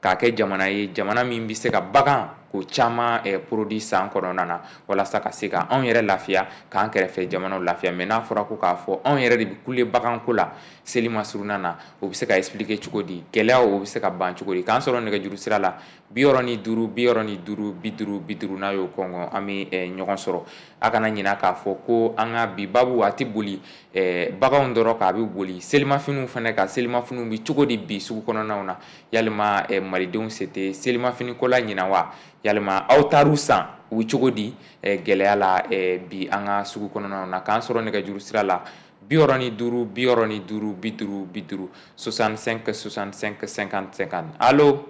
k'a kɛ jamana ye, jamana min bɛ se ka bagan ko caman produit san kɔnɔna na, walasa ka se ka anw yɛrɛ lafiya, k'an kɛrɛfɛ jamanaw lafiya. Mais n'a fɔra ko k'a fɔ anw yɛrɛ de bɛ kule baganko la seli masurunna na, o bɛ se ka expliquer cogo di? Gɛlɛyaw o bɛ se ka ban cogo di? K'an sɔrɔ nɛgɛjuru sira la 65 65 50 50, n'a y'o kɔngɔ an bɛ ɲɔgɔn sɔrɔ. A kana ɲinɛ k'a fɔ ko an ka bi baabu a tɛ boli baganw dɔrɔn kan, a bɛ boli selimafiniw fana kan. Selimafiniw bɛ cogo di bi sugu kɔnɔnaw na? Yalima malidenw se tɛ selimafiniko la ɲinan wa? Yalima aw taar'u san u bɛ cogo di gɛlɛya la bi an ka sugu kɔnɔnaw na? K'an sɔrɔ nɛgɛjuru sira la 65 65 50 50 65 65 50 50. Allo?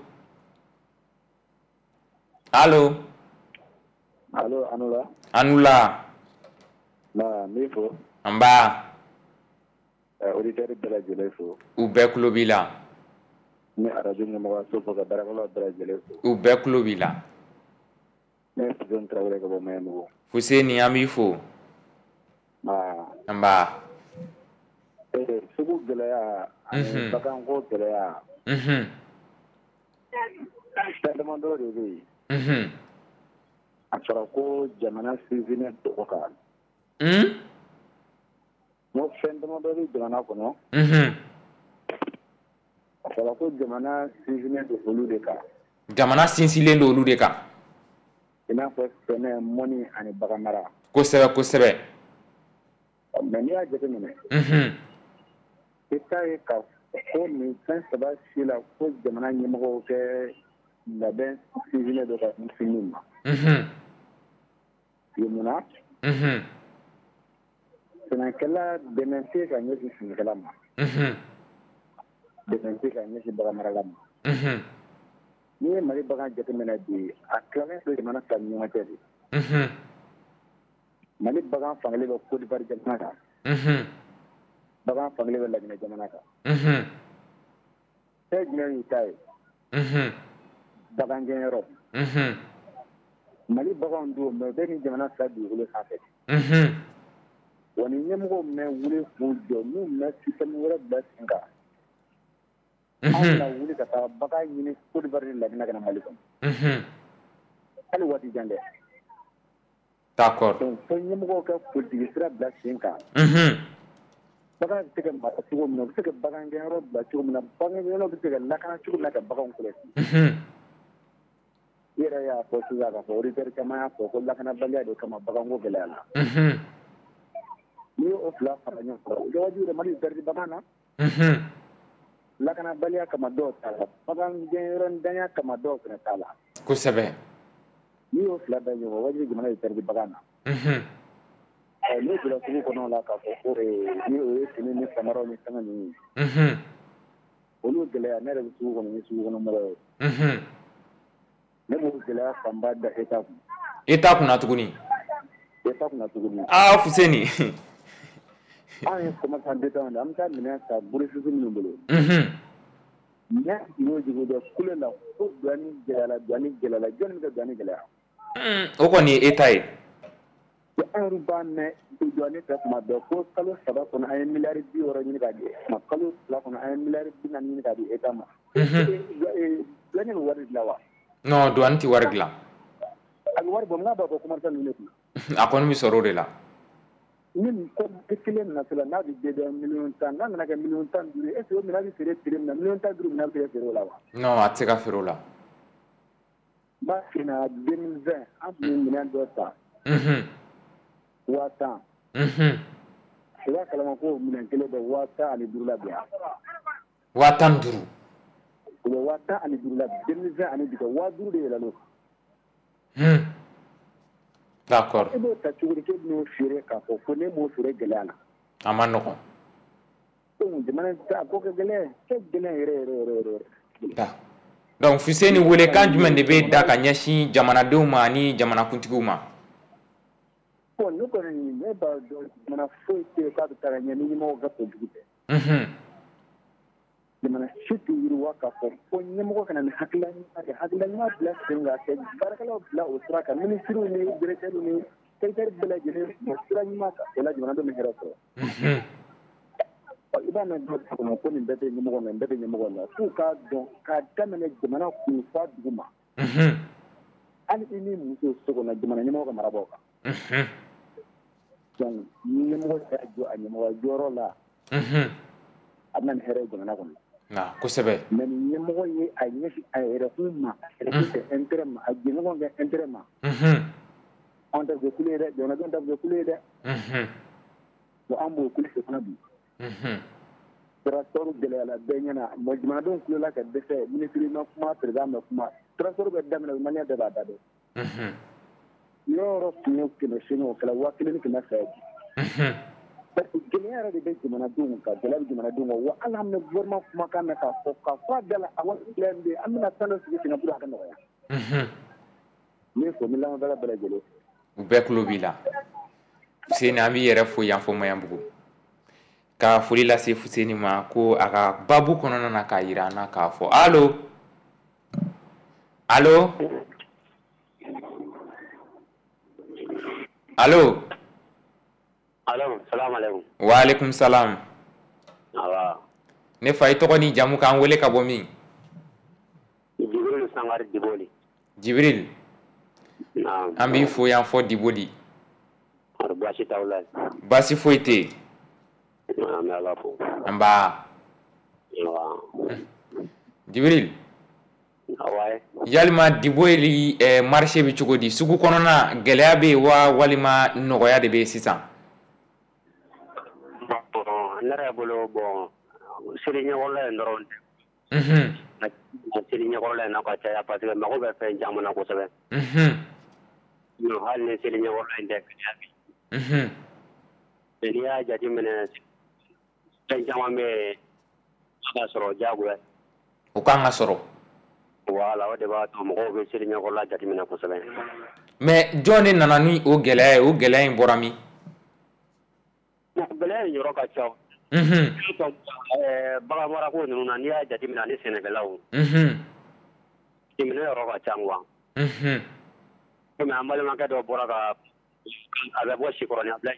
Allo? Allo, Anula. Anula. Na, n b'i fo. Nba. Auditeur bɛɛ lajɛlen fo. U bɛɛ tulo b'i la. N bɛ arajo ɲɛmɔgɔyaso fo ka baarakɛlaw bɛɛ lajɛlen fo. U bɛɛ tulo b'i la. Ne ye Fuseni Tarawele ka bɔ Maɲanbugu. Fuseni, an b'i fo. Nba. Sugu gɛlɛya ani baganko gɛlɛya. Fɛn damadɔ de bɛ yen. A fɔra ko jamana sinsinnen don o kan. N ko fɛn damadɔ bɛ jamana kɔnɔ. A fɔra ko jamana sinsinnen don olu de kan. Jamana sinsinlen don olu de kan. I n'a fɔ sɛnɛ, mɔni ani bagan mara. Kosɛbɛ kosɛbɛ. Mais n'i y'a jateminɛ. I t'a ye ka ko nin fɛn saba si la ko jamana ɲɛmɔgɔw kɛ labɛn sinsinnen don ka ɲɛsin min ma. Munna? Sɛnɛkɛla dɛmɛ tɛ ka ɲɛsin sɛnɛkɛla ma. Dɛmɛ tɛ ka ɲɛsin baganmarala ma. N'i ye Mali bagan jateminɛ bi, a tilalen don jamana fila ni ɲɔgɔn cɛ de. Mali bagan fankelen bɛ Côte d'Ivoire jamana kan. Bagan fankelen bɛ Laginɛ jamana kan. Fɛn jumɛn y'u ta ye? Bagangɛnyɔrɔ. Mali baganw don, mais u bɛ nin jamana fila dugukolo sanfɛ. Wa ni ɲɛmɔgɔw mɛn wuli k'u jɔ, n'u mɛn système wɛrɛ bila sen kan, anw bɛna wuli ka taa bagan ɲini Côte d'Ivoire ni Laginɛ ka na Mali kɔnɔ. Hali waati jan dɛ. D'accord. Donc fo ɲɛmɔgɔw ka politique sira bila sen kan. Bagan bɛ se ka mara cogo min na, u bɛ se ka bagangɛnyɔrɔ bila cogo min na, bagangɛnyɔrɔ bɛ se ka lakana cogo min na ka baganw kɔlɔsi. I yɛrɛ y'a fɔ sisan k'a fɔ auditeurs caman y'a fɔ ko lakanabaliya de kama baganko gɛlɛya la. N'i y'o fila fara ɲɔgɔn kan, o kɛ wajibi Mali bɛ perdre bagan na. Lakanabaliya kama dɔw t'a la, bagangɛnyɔrɔ ntanya kama dɔw fana t'a la. Kosɛbɛ. N'i y'o fila da ɲɔgɔn kan, wajibi jamana bɛ perdre bagan na. N'o donna sugu kɔnɔ la k'a fɔ ko ni o ye fini ni samaraw ni fɛngɛ ninnu ye, olu gɛlɛya, ne yɛrɛ bɛ sugu kɔnɔ ni sugu kɔnɔ mɔgɔ ye. Ne b'o gɛlɛya fanba da État kun. État kunna tuguni. État kunna tuguni. Aa Fuseni. Anw ye commerçant détaillant de ye, an bɛ taa minɛn ta grossiste minnu bolo. Minɛn jigin o jigin bɛ kule la ko douane gɛlɛyara, douane gɛlɛyara, jɔnni bɛ ka douane gɛlɛya? O kɔni ye État ye. An yɛrɛ b'a mɛn douane fɛ tuma bɛɛ ko kalo 3 kɔnɔ an ye miliyari 60 ɲini k'a di ma, kalo 2 kɔnɔ an ye miliyari 40 ɲini k'a di État ma. Douane bɛ wari dilan wa? Non, douane tɛ wari dilan. A bɛ wari bɔ, mun b'a bɔ commerçant ninnu de kunna? A kɔni bɛ sɔrɔ o de la. Ni ko kelen natɔla n'a bɛ dédouaner miliyɔn 10, n'a nana kɛ miliyɔn 15 ye, est ce que o minɛn bɛ feere prix min na, miliyɔn 15 minɛn bɛ se ka feere o la wa? Non, a tɛ se ka feere o la. N b'a f'i ɲɛna 2020 an tun ye minɛn dɔ ta. 10,000. I b'a kalama ko minɛn kelen bɛ 15,000 la bi. 15,000. U bɛ 15,000 la bi, 2020 ani bi 5,000 de yɛlɛla o kan. D'accord. E b'o ta cogo di k'e bɛn'o feere k'a fɔ ko ne m'o feere gɛlɛya la? A ma nɔgɔn. Donc jamana a ko ka gɛlɛn, ka gɛlɛn yɛrɛ yɛrɛ yɛrɛ yɛrɛ. Donc Fuseni, welekan jumɛn de bɛ da ka ɲɛsin jamanadenw ma ani jamanakuntigiw ma? Bon, ne kɔni ne b'a dɔn jamana foyi tɛ yen k'a bɛ taa ɲɛ ni ɲɛmɔgɔ ka politique tɛ. Jamana si tɛ yiriwa k'a fɔ ko ɲɛmɔgɔ kana ni hakilina ɲuman kɛ, hakilina ɲuman bila sen kan ka baarakɛlaw bila o sira kan, minisiriw ni directeurs ni secrétaires bɛɛ lajɛlen o sira ɲuman kan, o la jamanadenw bɛ hɛrɛ sɔrɔ. I b'a mɛn dɔw da kɔnɔ ko nin bɛɛ tɛ ɲɛmɔgɔ nɔ, nin bɛɛ tɛ ɲɛmɔgɔ nɔ, f'u k'a dɔn k'a daminɛ jamana kun f'a dugu ma. Hali i ni muso so kɔnɔ, jamana ɲɛmɔgɔ ka mara b'aw kan. Donc ɲɛmɔgɔ y'a jɔ a ɲɛmɔgɔ jɔyɔrɔ la, a bɛna ni hɛrɛ ye jamana kɔnɔ. Kosɛbɛ. Mais ni ɲɛmɔgɔ ye a ɲɛsin a yɛrɛkun ma, a yɛrɛkun kɛ intérêt ma, a jɛɲɔgɔn kɛ intérêt ma, anw ta bɛ kɛ kule ye dɛ, jamanadenw ta bɛ kɛ kule ye dɛ. Bon, an b'o kule de fana bi. Transport gɛlɛyara bɛɛ ɲɛna, mais jamanadenw kulela ka dɛsɛ, ministre ma kuma, président ma kuma, transport bɛ daminɛ, malien bɛɛ b'a da dɔn. Yɔrɔ yɔrɔ tun ye 800, o kɛra 1200 ye bi. Parce que gɛlɛya yɛrɛ de bɛ jamanadenw kan, gɛlɛya bɛ jamanadenw kan, wa hali an bɛ gouvernement kumakan mɛn k'a fɔ k'a fɔ a da la, a wari gɛlɛya min bɛ yen, an bɛna fɛn dɔ sigi sen kan pour que a ka nɔgɔya. N bɛ fo, n bɛ lamɛnbaga bɛɛ lajɛlen. U bɛɛ tulo b'i la. Fuseni, an b'i yɛrɛ fo yan fɔ Maɲanbugu. Ka foli lase Fuseni ma ko a ka babu kɔnɔna na k'a yira an na k'a fɔ. Allo? Allo? Allo? Allo, salam alaikum. Wa alaikum salam. Awa. Ne fa, i tɔgɔ ni jamu k'an wele ka bɔ min? Jibril Sangare Diboli. Jibril. Naam. An b'i fo yan fɔ Diboli. Baasi t'aw la. Baasi foyi tɛ yen. An bɛ Ala fo. Nba. Awa. Jibril. Awa. Yalima Diboli marché bɛ cogo di? Sugu kɔnɔna gɛlɛya bɛ yen wa walima nɔgɔya de bɛ yen sisan? Ne yɛrɛ bolo, bon, seli ɲɛkɔrɔla in dɔrɔn tɛ. Seli ɲɛkɔrɔla in na ka caya parce que mago bɛ fɛn caman na kosɛbɛ. Hali ni seli ɲɛkɔrɔla in tɛ, gɛlɛya bɛ yen. N'i y'a jateminɛ, fɛn caman bɛ yen a ka sɔrɔ diyagoya. O kan ka sɔrɔ. Voilà, o de b'a to mɔgɔw bɛ seli ɲɛkɔrɔla jateminɛ kosɛbɛ. Mais jɔn de nana ni o gɛlɛya ye? O gɛlɛya in bɔra min? Gɛlɛya in yɔrɔ ka ca. Bagan marako ninnu na, n'i y'a jateminɛ ani sɛnɛkɛlaw. Jateminɛ yɔrɔ ka ca quoi. Komi an balimakɛ dɔ bɔra ka a bɛ bɔ Sikɔrɔni a bila.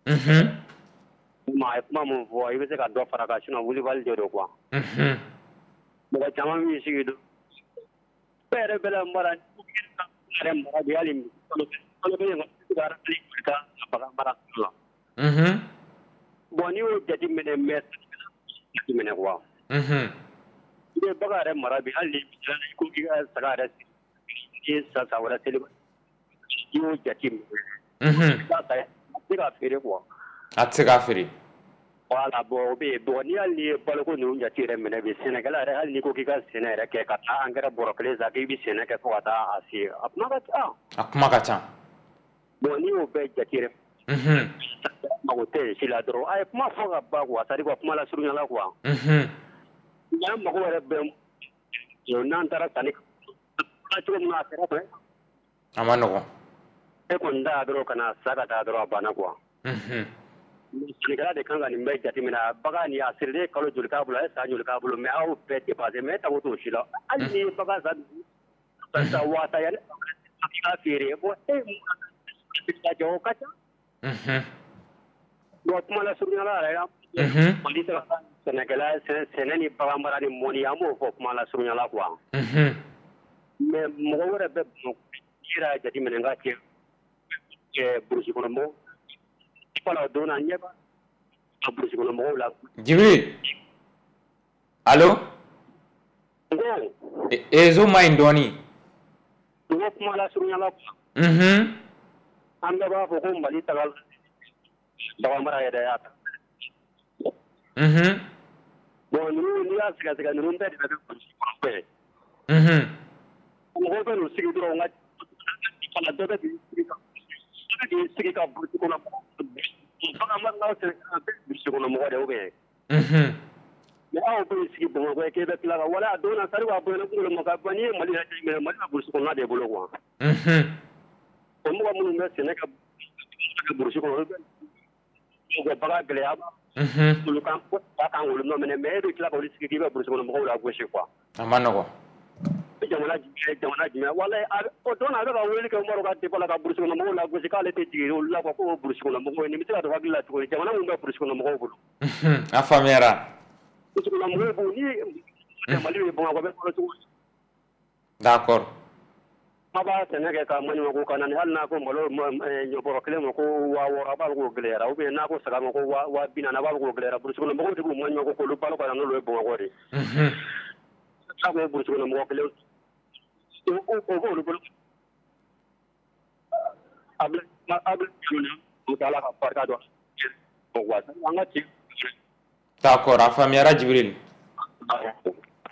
A ye kuma min fɔ, i bɛ se ka dɔ fara kan, sinon wulibali de don quoi. Mɔgɔ caman b'i sigi don. E yɛrɛ bɛ la mara yɛrɛ mara bi hali kalo kelen ka bagan mara la. Bon, Bon n'i y'o jateminɛ mais jateminɛ quoi. I bɛ bagan yɛrɛ mara bi hali ni ko k'i ka saga yɛrɛ i ye san wɛrɛ seli i y'o jateminɛ. A tɛ se k'a feere quoi. A tɛ se k'a feere. Voilà bon o bɛ yen bon n'i hali ye baloko ninnu jate yɛrɛ minɛ bi sɛnɛkɛla yɛrɛ hali n'i ko k'i ka sɛnɛ yɛrɛ kɛ ka taa angɛrɛ bɔrɔ kelen san k'i bɛ sɛnɛ kɛ fo ka taa a se a kuma ka ca. A kuma ka ca. Bon n'i y'o bɛɛ jate yɛrɛ. Mago tɛ si la dɔrɔn a ye kuma fɔ ka ban quoi c'est à dire quoi kuma lasurunya la quoi. N'an mago yɛrɛ bɛ n'an taara sanni cogo min na a kɛrɛfɛ. A ma nɔgɔn. E kɔni da dɔrɔn ka na sa ka taa dɔrɔn a banna quoi. Sɛnɛkɛla de kan ka nin bɛɛ jateminɛ bagan nin a sirilen kalo joli k'a bolo a ye san joli k'a bolo mais aw bɛɛ dépassé mais e tago t'o si la hali n'i ye bagan san 10,000 yanni i k'a feere bon e jɔ o ka ca. Bon kuma lasurunya la yɛrɛ Mali sɛnɛkɛla sɛnɛ ni bagan mara ni mɔni an b'o fɔ kuma lasurunya la quoi. Mais mɔgɔ wɛrɛ bɛ Bamakɔ i yɛrɛ y'a jateminɛ n ka cɛ burusi kɔnɔ mɔgɔw voilà don na ɲɛ b'a burusi kɔnɔ mɔgɔw la. Jibril allo. N ko. Réseau ma ɲi dɔɔni. N ko kuma lasurunya la quoi. An bɛɛ b'a fɔ ko Mali taga bagan mara yɛrɛ y'a ta. Bon ninnu n'i y'a sɛgɛsɛgɛ ninnu bɛɛ de bɛ kɛ burusi kɔnɔ ye. Mɔgɔw bɛ n'u sigi dɔrɔn ka dɔ bɛ k'i sigi ka burusi kɔnɔ bagan maralaw sɛnɛkɛla bɛɛ burusi kɔnɔ mɔgɔ de ou bien. Mais aw bɛ sigi Bamakɔ k'e bɛ tila ka wala a don na sari a bonyana kunkolo ma ka n'i ye Mali yɛrɛ jateminɛ Mali bɛ burusi kɔnɔna de bolo quoi. O mɔgɔ minnu bɛ sɛnɛ kɛ burusi kɔnɔ olu bɛ bagan gɛlɛya olu kan kan k'olu nɔ minɛ mais e bɛ tila k'olu sigi k'i bɛ burusi kɔnɔ mɔgɔw la gosi quoi. A ma nɔgɔn. Jamana jumɛn walayi o don a bɛ ka weleli kɛ Umaru ka dépôt la ka burusi kɔnɔ mɔgɔw la gosi k'ale tɛ jigin olu la quoi k'o burusi kɔnɔ mɔgɔw ye nin bɛ se ka don hakili la cogo di jamana min bɛ burusi kɔnɔ mɔgɔw bolo. A faamuyara. Burusi kɔnɔ mɔgɔw bolo ni Mali bɛ Bamakɔ bɛ balo cogo di. D'accord. A b'a sɛnɛ kɛ ka maɲumanko ka na ni hali n'a ko malo ɲɔbɔrɔ kelen ma ko 6000 a b'a fɔ k'o gɛlɛyara ou bien n'a ko saga ma ko 40,000 a b'a fɔ k'o gɛlɛyara burusi kɔnɔ mɔgɔw de b'u maɲumanko k'olu balo ka na n'olu ye Bamakɔ de. A ko burusi kɔnɔ mɔgɔ kelen o b'olu bolo. A bɛ Ala ka barika don an ka ci. D'accord, a faamuyara Jibril.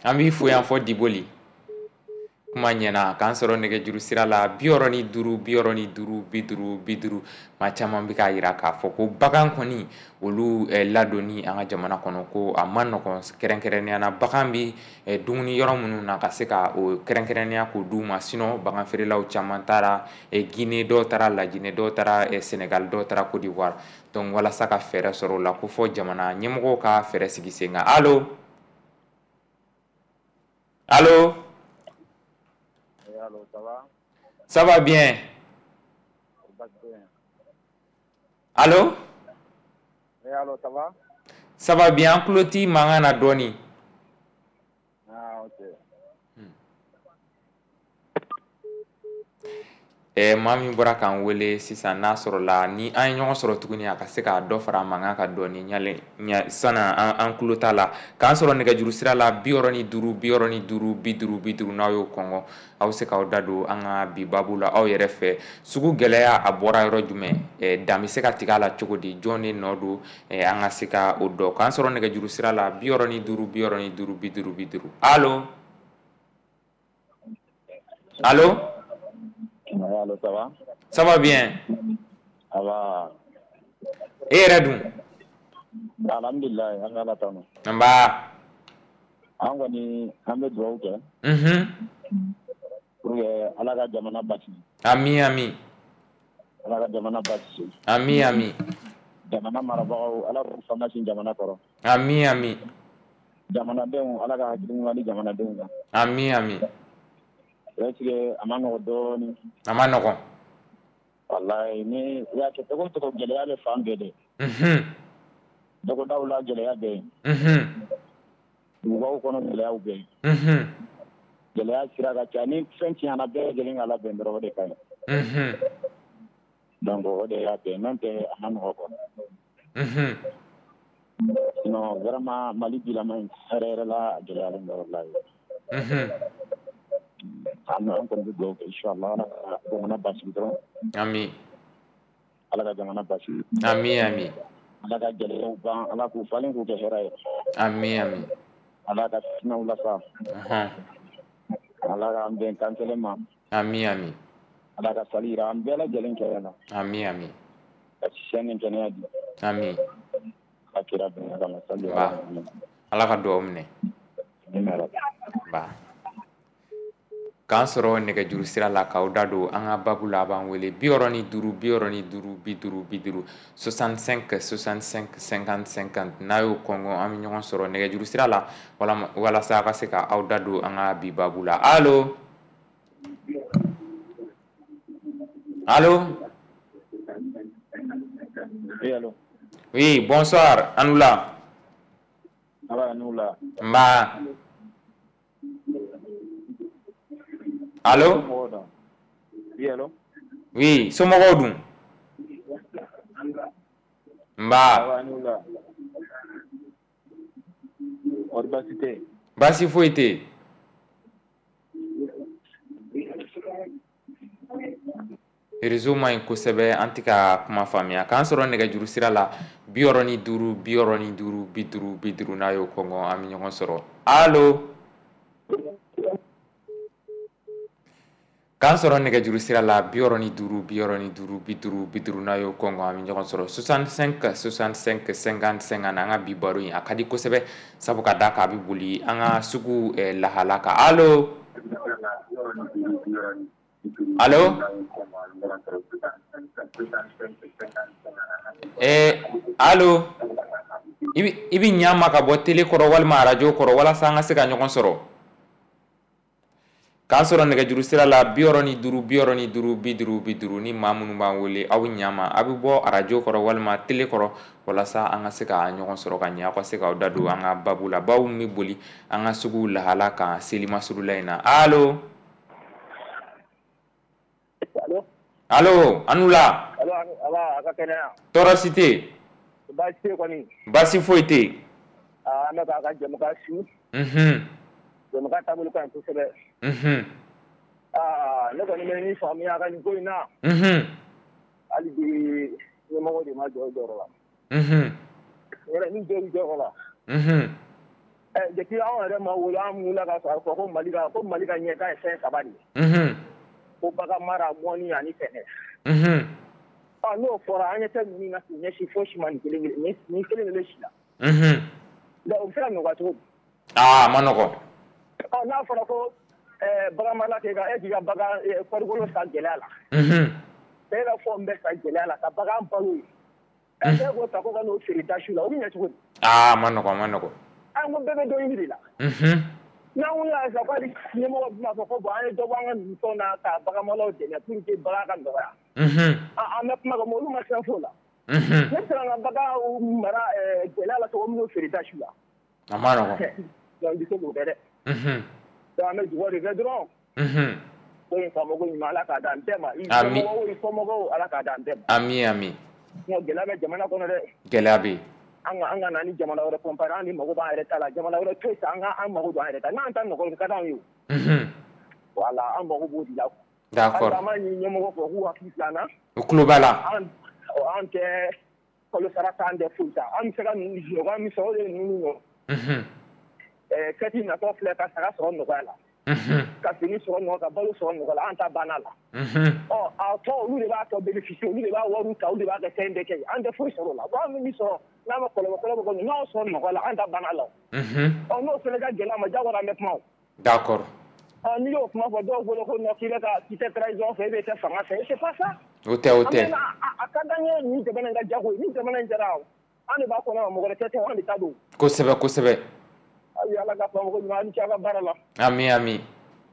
An b'i fo yan fɔ Diboli. Kuma ɲɛna k'an sɔrɔ nɛgɛjuru sira la 65 65 50 50. Maa caman bɛ k'a jira k'a fɔ ko bagan kɔni olu ladonni an ka jamana kɔnɔ ko a ma nɔgɔn kɛrɛnkɛrɛnnenya na bagan bɛ dumuni yɔrɔ minnu na ka se ka o kɛrɛnkɛrɛnnenya k'o d'u ma sinon bagan feerelaw caman taara Guinée dɔw taara Laginɛ dɔw taara Sénégal dɔw taara Côte d'Ivoire donc walasa ka fɛɛrɛ sɔrɔ o la ko fɔ jamana ɲɛmɔgɔw ka fɛɛrɛ sigi sen kan. Allo allo. Allô, ça va? Ça va bien. Allô? Oui, allô, ça va? Ça va bien. An tulo t'i mankan na dɔɔni. Ah, ok. Maa min bɔra k'an wele sisan n'a sɔrɔla ni an ye ɲɔgɔn sɔrɔ tuguni a ka se k'a dɔ fara mankan kan dɔɔni ɲalen sanni an tulo t'a la k'an sɔrɔ nɛgɛjuru sira la 65 65 50 50 n'aw y'o kɔngɔ aw bɛ se k'aw da don an ka bi baabu la aw yɛrɛ fɛ sugu gɛlɛya a bɔra yɔrɔ jumɛn dan bɛ se ka tigɛ a la cogo di jɔn de nɔ don an ka se ka o dɔn k'an sɔrɔ nɛgɛjuru sira la 65 65 50 50. Allo allo. Allô, ça va? Ça va bien. Ça va. E yɛrɛ dun? Alhamdulilayi, an bɛ Ala tanu. Nba. An kɔni an bɛ dugawu kɛ. Pour que Ala ka jamana basigi. Ami ami. Ala ka jamana basigi. Ami ami. Jamana marabagaw Ala k'u fanga sin jamana kɔrɔ. Ami ami. Jamanadenw Ala ka hakili ɲuman di jamanadenw ma. Ami ami. Est-ce que a ma nɔgɔn dɔɔnin? A ma nɔgɔn. Walayi ni i y'a kɛ cogo o cogo gɛlɛya bɛ fan bɛɛ de. Dɔgɔdaw la gɛlɛya bɛ yen. Dugubaw kɔnɔ gɛlɛyaw bɛ yen. Gɛlɛya sira ka ca ni fɛn tiɲɛna bɛɛ lajɛlen ka labɛn dɔrɔn o de ka ɲi. Donc o de y'a bɛn n'o tɛ a ma nɔgɔn quoi. Sinon vraiment Mali bilama in hɛrɛ yɛrɛ la, a gɛlɛyalen bɛ walahi. An kɔni bɛ dugawu kɛ inchallah Ala ka jamana basigi dɔrɔn. Ami. Ala ka jamana basigi. Ami ami. Ala ka gɛlɛyaw ban, Ala k'u falen k'u kɛ hɛrɛ ye. Ami ami. Ala ka fitinɛw lasa. Ala k'an bɛn kan kelen ma. Ami ami. Ala ka sali jira an bɛɛ lajɛlen kɛnɛ na. Ami ami. Ka siya ni kɛnɛya di. Ami. Ala kira bonya kama sali Ba. Ala ka dugawu minɛ. Ba. K'an sɔrɔ nɛgɛjuru sira la k'aw da don an ka babu la, a b'an wele 65 65 50 50 65 65 50 50. N'a y'o kɔngɔ, an bɛ ɲɔgɔn sɔrɔ nɛgɛjuru sira la walasa a ka se ka aw da don an ka bi babu la. Allo, allo. Oui, allo. Oui, bonsoir, Anoula. Ala Anoula. Mba. Allo. Oui, allo. Oui, somɔgɔw dun? Nba. Anoula. Kɔri baasi tɛ? Baasi foyi tɛ yen. Réseau man ɲi kosɛbɛ, an tɛ ka kuma faamuya. K'an sɔrɔ nɛgɛjuru sira la 65 65 50 50, n'a y'o kɔngɔ, an bɛ ɲɔgɔn sɔrɔ. Allo. K'an sɔrɔ nɛgɛjuru sira la 65 65 50 50, n'a y'o kɔngɔ, an bɛ ɲɔgɔn sɔrɔ 65 65 50 50. An ka bi baro in a ka di kosɛbɛ, sabu ka d'a kan a bɛ boli an ka sugu lahala kan. Allo. Allo. Allo. I bɛ ɲa ma ka bɔ télé kɔrɔ walima arajo kɔrɔ walasa an ka se ka ɲɔgɔn sɔrɔ. K'an sɔrɔ nɛgɛjuru sira la 65 65 50 50. Ni maa minnu b'an wele, aw bɛ ɲa ma, a bɛ bɔ arajo kɔrɔ walima télé kɔrɔ walasa an ka se ka ɲɔgɔn sɔrɔ ka ɲɛ, aw ka se k'aw da don an ka babu la, babu min bɛ boli an ka sugu lahala kan Selimasurula in na. Allo. Allo, Anoula. Allo, a ka kɛnɛya. Tɔɔrɔ si tɛ yen. Baasi tɛ kɔni. Baasi foyi tɛ yen. An bɛ k'a ka jɛmukan su. Jɛmukan taabolo ka ɲi kosɛbɛ. Ne kɔni bɛ min faamuya a ka nin ko in na. Hali bi ɲɛmɔgɔ de ma jɔ jɔyɔrɔ la. Yɛrɛ ni jɔ jɔyɔrɔ la. Depuis anw yɛrɛ ma wolo, an wulila ka sɔrɔ fɔ ko Mali ka ɲɛtaa ye fɛn saba de ye. Ko bagan mara, mɔni ani sɛnɛ. N'o fɔra, an ɲɛ tɛ ninnu na k'u ɲɛsin fosi ma nin kelen kelen nin kelen kelen si la. Donc o bɛ se ka nɔgɔya cogo di? A ma nɔgɔn. N'a fɔra ko bagan marala k'e ka e k'i ka bagan kɔrikolo san gɛlɛya la. E ka fɛnw bɛɛ san gɛlɛya la ka bagan balo ye. E k'o ta ko ka n'o feere dasiw la, o bɛ ɲɛ cogo di? A ma nɔgɔn, a ma nɔgɔn. An ko bɛɛ bɛ dɔ ɲini de la. N'an wulila sisan ko hali ɲɛmɔgɔ bɛna fɔ ko bon an ye dɔ bɔ an ka ninnu na ka baganmalaw dɛmɛ pour que bagan ka nɔgɔya. An bɛ kuma kɛ olu ma fɛn f'o la. Ne bɛ se ka n ka bagan mara gɛlɛya la cogo min n'o feere dasiw la. A ma nɔgɔn. Donc i bɛ se k'o kɛ dɛ. Donc an bɛ dugawu de kɛ dɔrɔn. Ko in faamako ɲuman Ala k'a d'an bɛɛ ma. I somɔgɔw i kɔmɔgɔw Ala k'a d'an bɛɛ ma. Ami ami. Sinon gɛlɛya bɛ jamana kɔnɔ dɛ. Gɛlɛya bɛ yen. An ka na ni jamana wɛrɛ comparer, an ni mago b'an yɛrɛ ta la, jamana wɛrɛ to yen sa, an ka an mago don an yɛrɛ ta, n'an ta nɔgɔ ka d'anw ye o. Voilà, an mago b'o de la. D'accord. An b'a ɲini ɲɛmɔgɔ fɛ k'u hakili to an na. U tulo b'a la. An tɛ kalo sara t'an tɛ foyi ta, an bɛ se ka nɔgɔya min sɔrɔ o de ye ninnu ye. Kɛti natɔ filɛ ka saga sɔrɔ nɔgɔya la. Ka fini sɔrɔ nɔgɔya, ka balo sɔrɔ nɔgɔya la, an ta banna la. A tɔ olu de b'a tɔ bénéficier, olu de b'a wariw ta, olu de b'a kɛ fɛn bɛɛ kɛ, an tɛ foyi sɔrɔ o la. Bon an bɛ min sɔrɔ n'a ma kɔlɔlɔ kɔlɔlɔ kɔni, n'aw sɔrɔ nɔgɔya la, an ta banna la. N'o fana ka gɛlɛn ma, jagoya an bɛ kuma o. D'accord. N'i y'o kuma fɔ dɔw bolo ko non k'i bɛ ka k'i tɛ trahison fɛ, e bɛ kɛ fanga fɛ, c'est pas ça. O tɛ, o tɛ. A ka d'an ye nin jamana in ka jago ye, ni jamana in jara an de b'a kɔnɔ, mɔgɔ wɛrɛ tɛ, an de ta don. Kosɛbɛ kosɛbɛ. Ayi Ala ka faamako ɲuman, aw ni ce aw ka baara la. Ami ami.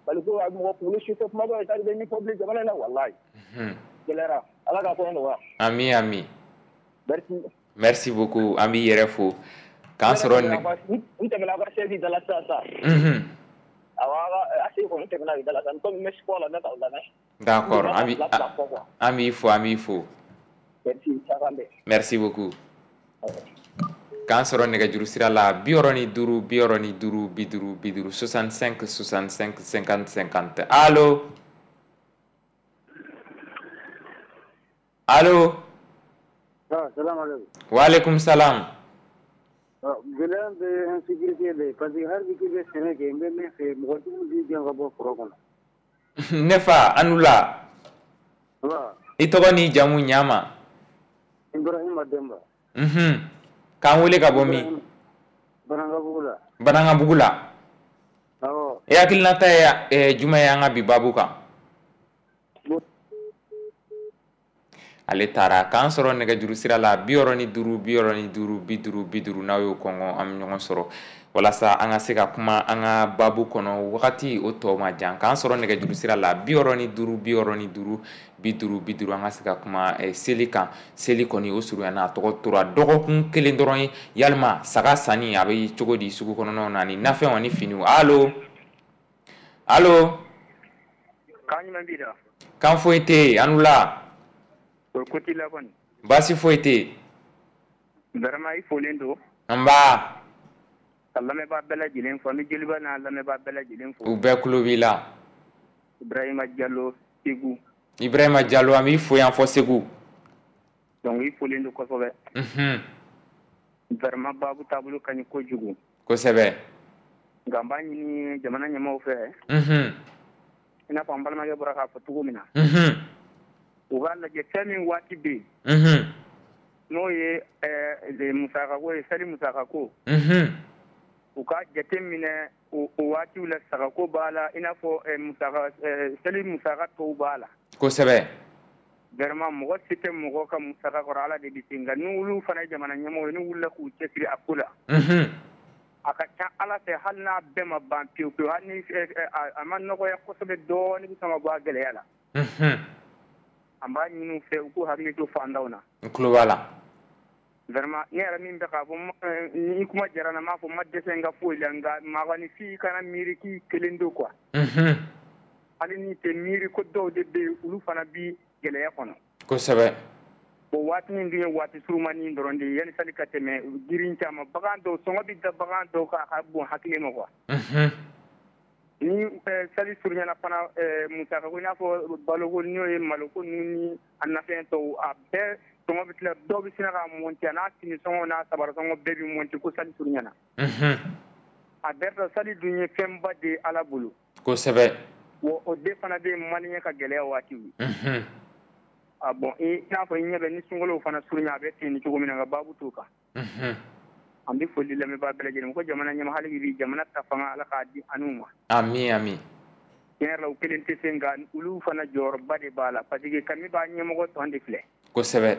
Parce que mɔgɔ kunkolo si tɛ kuma dɔw ye, c'est à dire min fɔ bilen jamana in na walahi. Gɛlɛyara, Ala k'a kɔnɔ nɔgɔya. Ami ami. Merci. Merci beaucoup, an b'i yɛrɛ fo. K'an sɔrɔ n tɛmɛna aw ka chaise da la sisan sisan. Awɔ, a sigi kɔni tɛmɛna da la sisan, komi n bɛ sport la, n bɛ k'aw lamɛn. D'accord, an b'i fo, an b'i fo. Merci, Merci beaucoup. K'an sɔrɔ nɛgɛjuru sira la 65 65 50 50, 65 65 50 50. Allo, allo. Salaamaaleykum. Waaleykum salam. Gɛlɛya bɛ insécurité de parce que hali k'i bɛ sɛnɛ kɛ, n bɛ min fɛ, mɔgɔtigiw b'i gɛn ka bɔ foro kɔnɔ. Ne fa, an wula. I tɔgɔ n'i jamu ɲama? Ibrahima Demba. K'an wele ka bɔ min? Banankabugu la. Banankabugu la. Awɔ. E hakilinata ye jumɛn ye an ka bi baabu kan? Ale taara. K'an sɔrɔ nɛgɛjuru sira la 65 65 50 50, n'aw y'o kɔngɔ an bɛ ɲɔgɔn sɔrɔ walasa an ka se ka kuma an ka baabu kɔnɔ, wagati o tɔ ma jan. K'an sɔrɔ nɛgɛjuru sira la 65 65 50 50, an ka se ka kuma seli kan. Seli kɔni o surunyana, a tɔgɔ tora dɔgɔkun kelen dɔrɔn ye. Yalima saga sanni a bɛ cogo di sugu kɔnɔnaw na, ani nafɛnw ani finiw? Allo, allo. Kan jumɛn b'i la? Kan foyi tɛ yen, an wula. O ko t'i la kɔni? Baasi foyi tɛ yen. Vraiment, i folen don. Nba. Ka lamɛnbaa bɛɛ lajɛlen fo, an bɛ Joliba n'a lamɛnbaa bɛɛ lajɛlen fo. U bɛɛ tulo b'i la. Ibrahima Jalo, Segu. Ibrahima Jalo, an b'i fo yan fɔ Segu. Donc i folen don kosɛbɛ. Vraiment, baabu taabolo ka ɲi kojugu. Kosɛbɛ. Nka n b'a ɲini jamana ɲɛmaaw fɛ. I n'a fɔ an balimakɛ bɔra k'a fɔ cogo min na. U b'a lajɛ fɛn min waati bɛ yen. N'o ye musakako ye, seli musakako. U ka jate minɛ o waatiw la, sagako b'a la, i n'a fɔ seli musaka tɔw b'a la. Kosɛbɛ. Vraiment, mɔgɔ si tɛ mɔgɔ ka musaka kɔrɔ, Ala de bɛ se, nka n'olu fana ye jamana ɲɛmɔgɔ ye, n'u wulila k'u cɛsiri a ko la. A ka ca Ala fɛ, hali n'a bɛɛ ma ban pewu pewu, hali ni a ma nɔgɔya kosɛbɛ dɔɔnin, bɛ sɔn ka bɔ a gɛlɛya la. An b'a ɲini u fɛ, u k'u hakili to fantanw na. N tulo b'a la. Vraiment, ne yɛrɛ min bɛ k'a fɔ, ni kuma diyara n na, n m'a fɔ n ma dɛsɛ n ka foyi la, nka mɔgɔninfin kana miiri k'i kelen don quoi. Hali n'i tɛ miiri ko dɔw de bɛ yen, olu fana bi gɛlɛya kɔnɔ. Kosɛbɛ. Bon, waati min dun ye waati surumani dɔrɔn de ye, yanni sali ka tɛmɛ, girin caman, bagan dɔw sɔngɔ bɛ da bagan dɔw kan, a ka bon hakili ma quoi. Ni sali surunyana fana, musaka ko, i n'a fɔ baloko, n'o ye maloko ninnu ni a nafɛn tɔw, a bɛɛ sɔngɔ bɛ tila, dɔw bɛ sin ka monter, a n'a fini sɔngɔ n'a sabara sɔngɔ bɛɛ bɛ monter ko sali surunyana. A bɛɛ la, sali dun ye fɛnba de ye Ala bolo. Kosɛbɛ. Wa o de fana bɛ malien ka gɛlɛya waatiw ye. Ah bon, i n'a fɔ i ɲɛ bɛ ni sunkalo fana surunya, a bɛ ten ni cogo min na, nka baabu t'o kan. An bɛ foli lamɛnbaa bɛɛ lajɛlen ko jamana ɲɛmaa, hali bi jamana ta fanga, Ala k'a di an n'u ma. Ami ami. Tiɲɛ yɛrɛ la, u kelen tɛ se, nka olu fana jɔyɔrɔba de b'a la, parce que kami b'a ɲɛmɔgɔ tɔn de filɛ. Kosɛbɛ.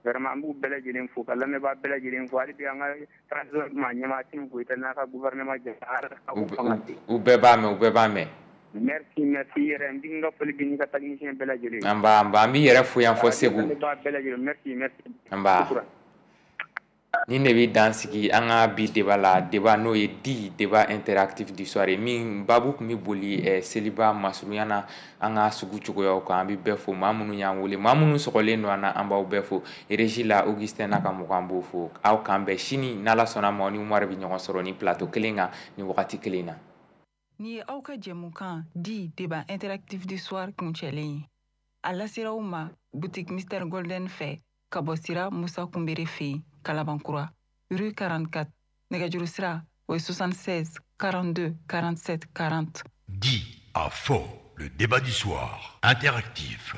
Vraiment, an b'u bɛɛ lajɛlen fo, ka lamɛnbaa bɛɛ lajɛlen fo, hali bi an ka transition maa ɲɛmaa Assimi Goïta n'a ka gouvernement jɛ, Ala ka u fanga di. U bɛɛ b'a mɛn, u bɛɛ b'a mɛn. Merci, merci yɛrɛ, n b'i ka foli di n'i ka technicien bɛɛ lajɛlen. An b'a, an b'a, an b'i yɛrɛ fo yan fɔ Segu. Lamɛnbaa bɛɛ lajɛlen, merci, merci. An b'a. Nin de bɛ dan sigi an ka bi débat la, débat n'o ye di débat interactif du soir ye, min baabu tun bɛ boli seliba masurunya na an ka sugu cogoyaw kan. An bɛ bɛɛ fo, maa minnu y'an wele, maa minnu sɔgɔlen don an na, an b'aw bɛɛ fo. Régie la, Augustin n'a ka mɔgɔ, an b'o fo. Aw k'an bɛn sini, n'Ala sɔnna ma, ni Umaru bɛ ɲɔgɔn sɔrɔ ni plateau kelen kan ni wagati kelen na. Nin ye aw ka jɛmukan di débat interactif du soir kuncɛlen ye. A lasera aw ma boutique Mister Golden fɛ, ka bɔ sira Musa Kunbere fɛ yen, Kalabankura, rue 44. Nɛgɛjuru sira o ye 76 42 47 40. Dit à fort, le débat du soir interactif.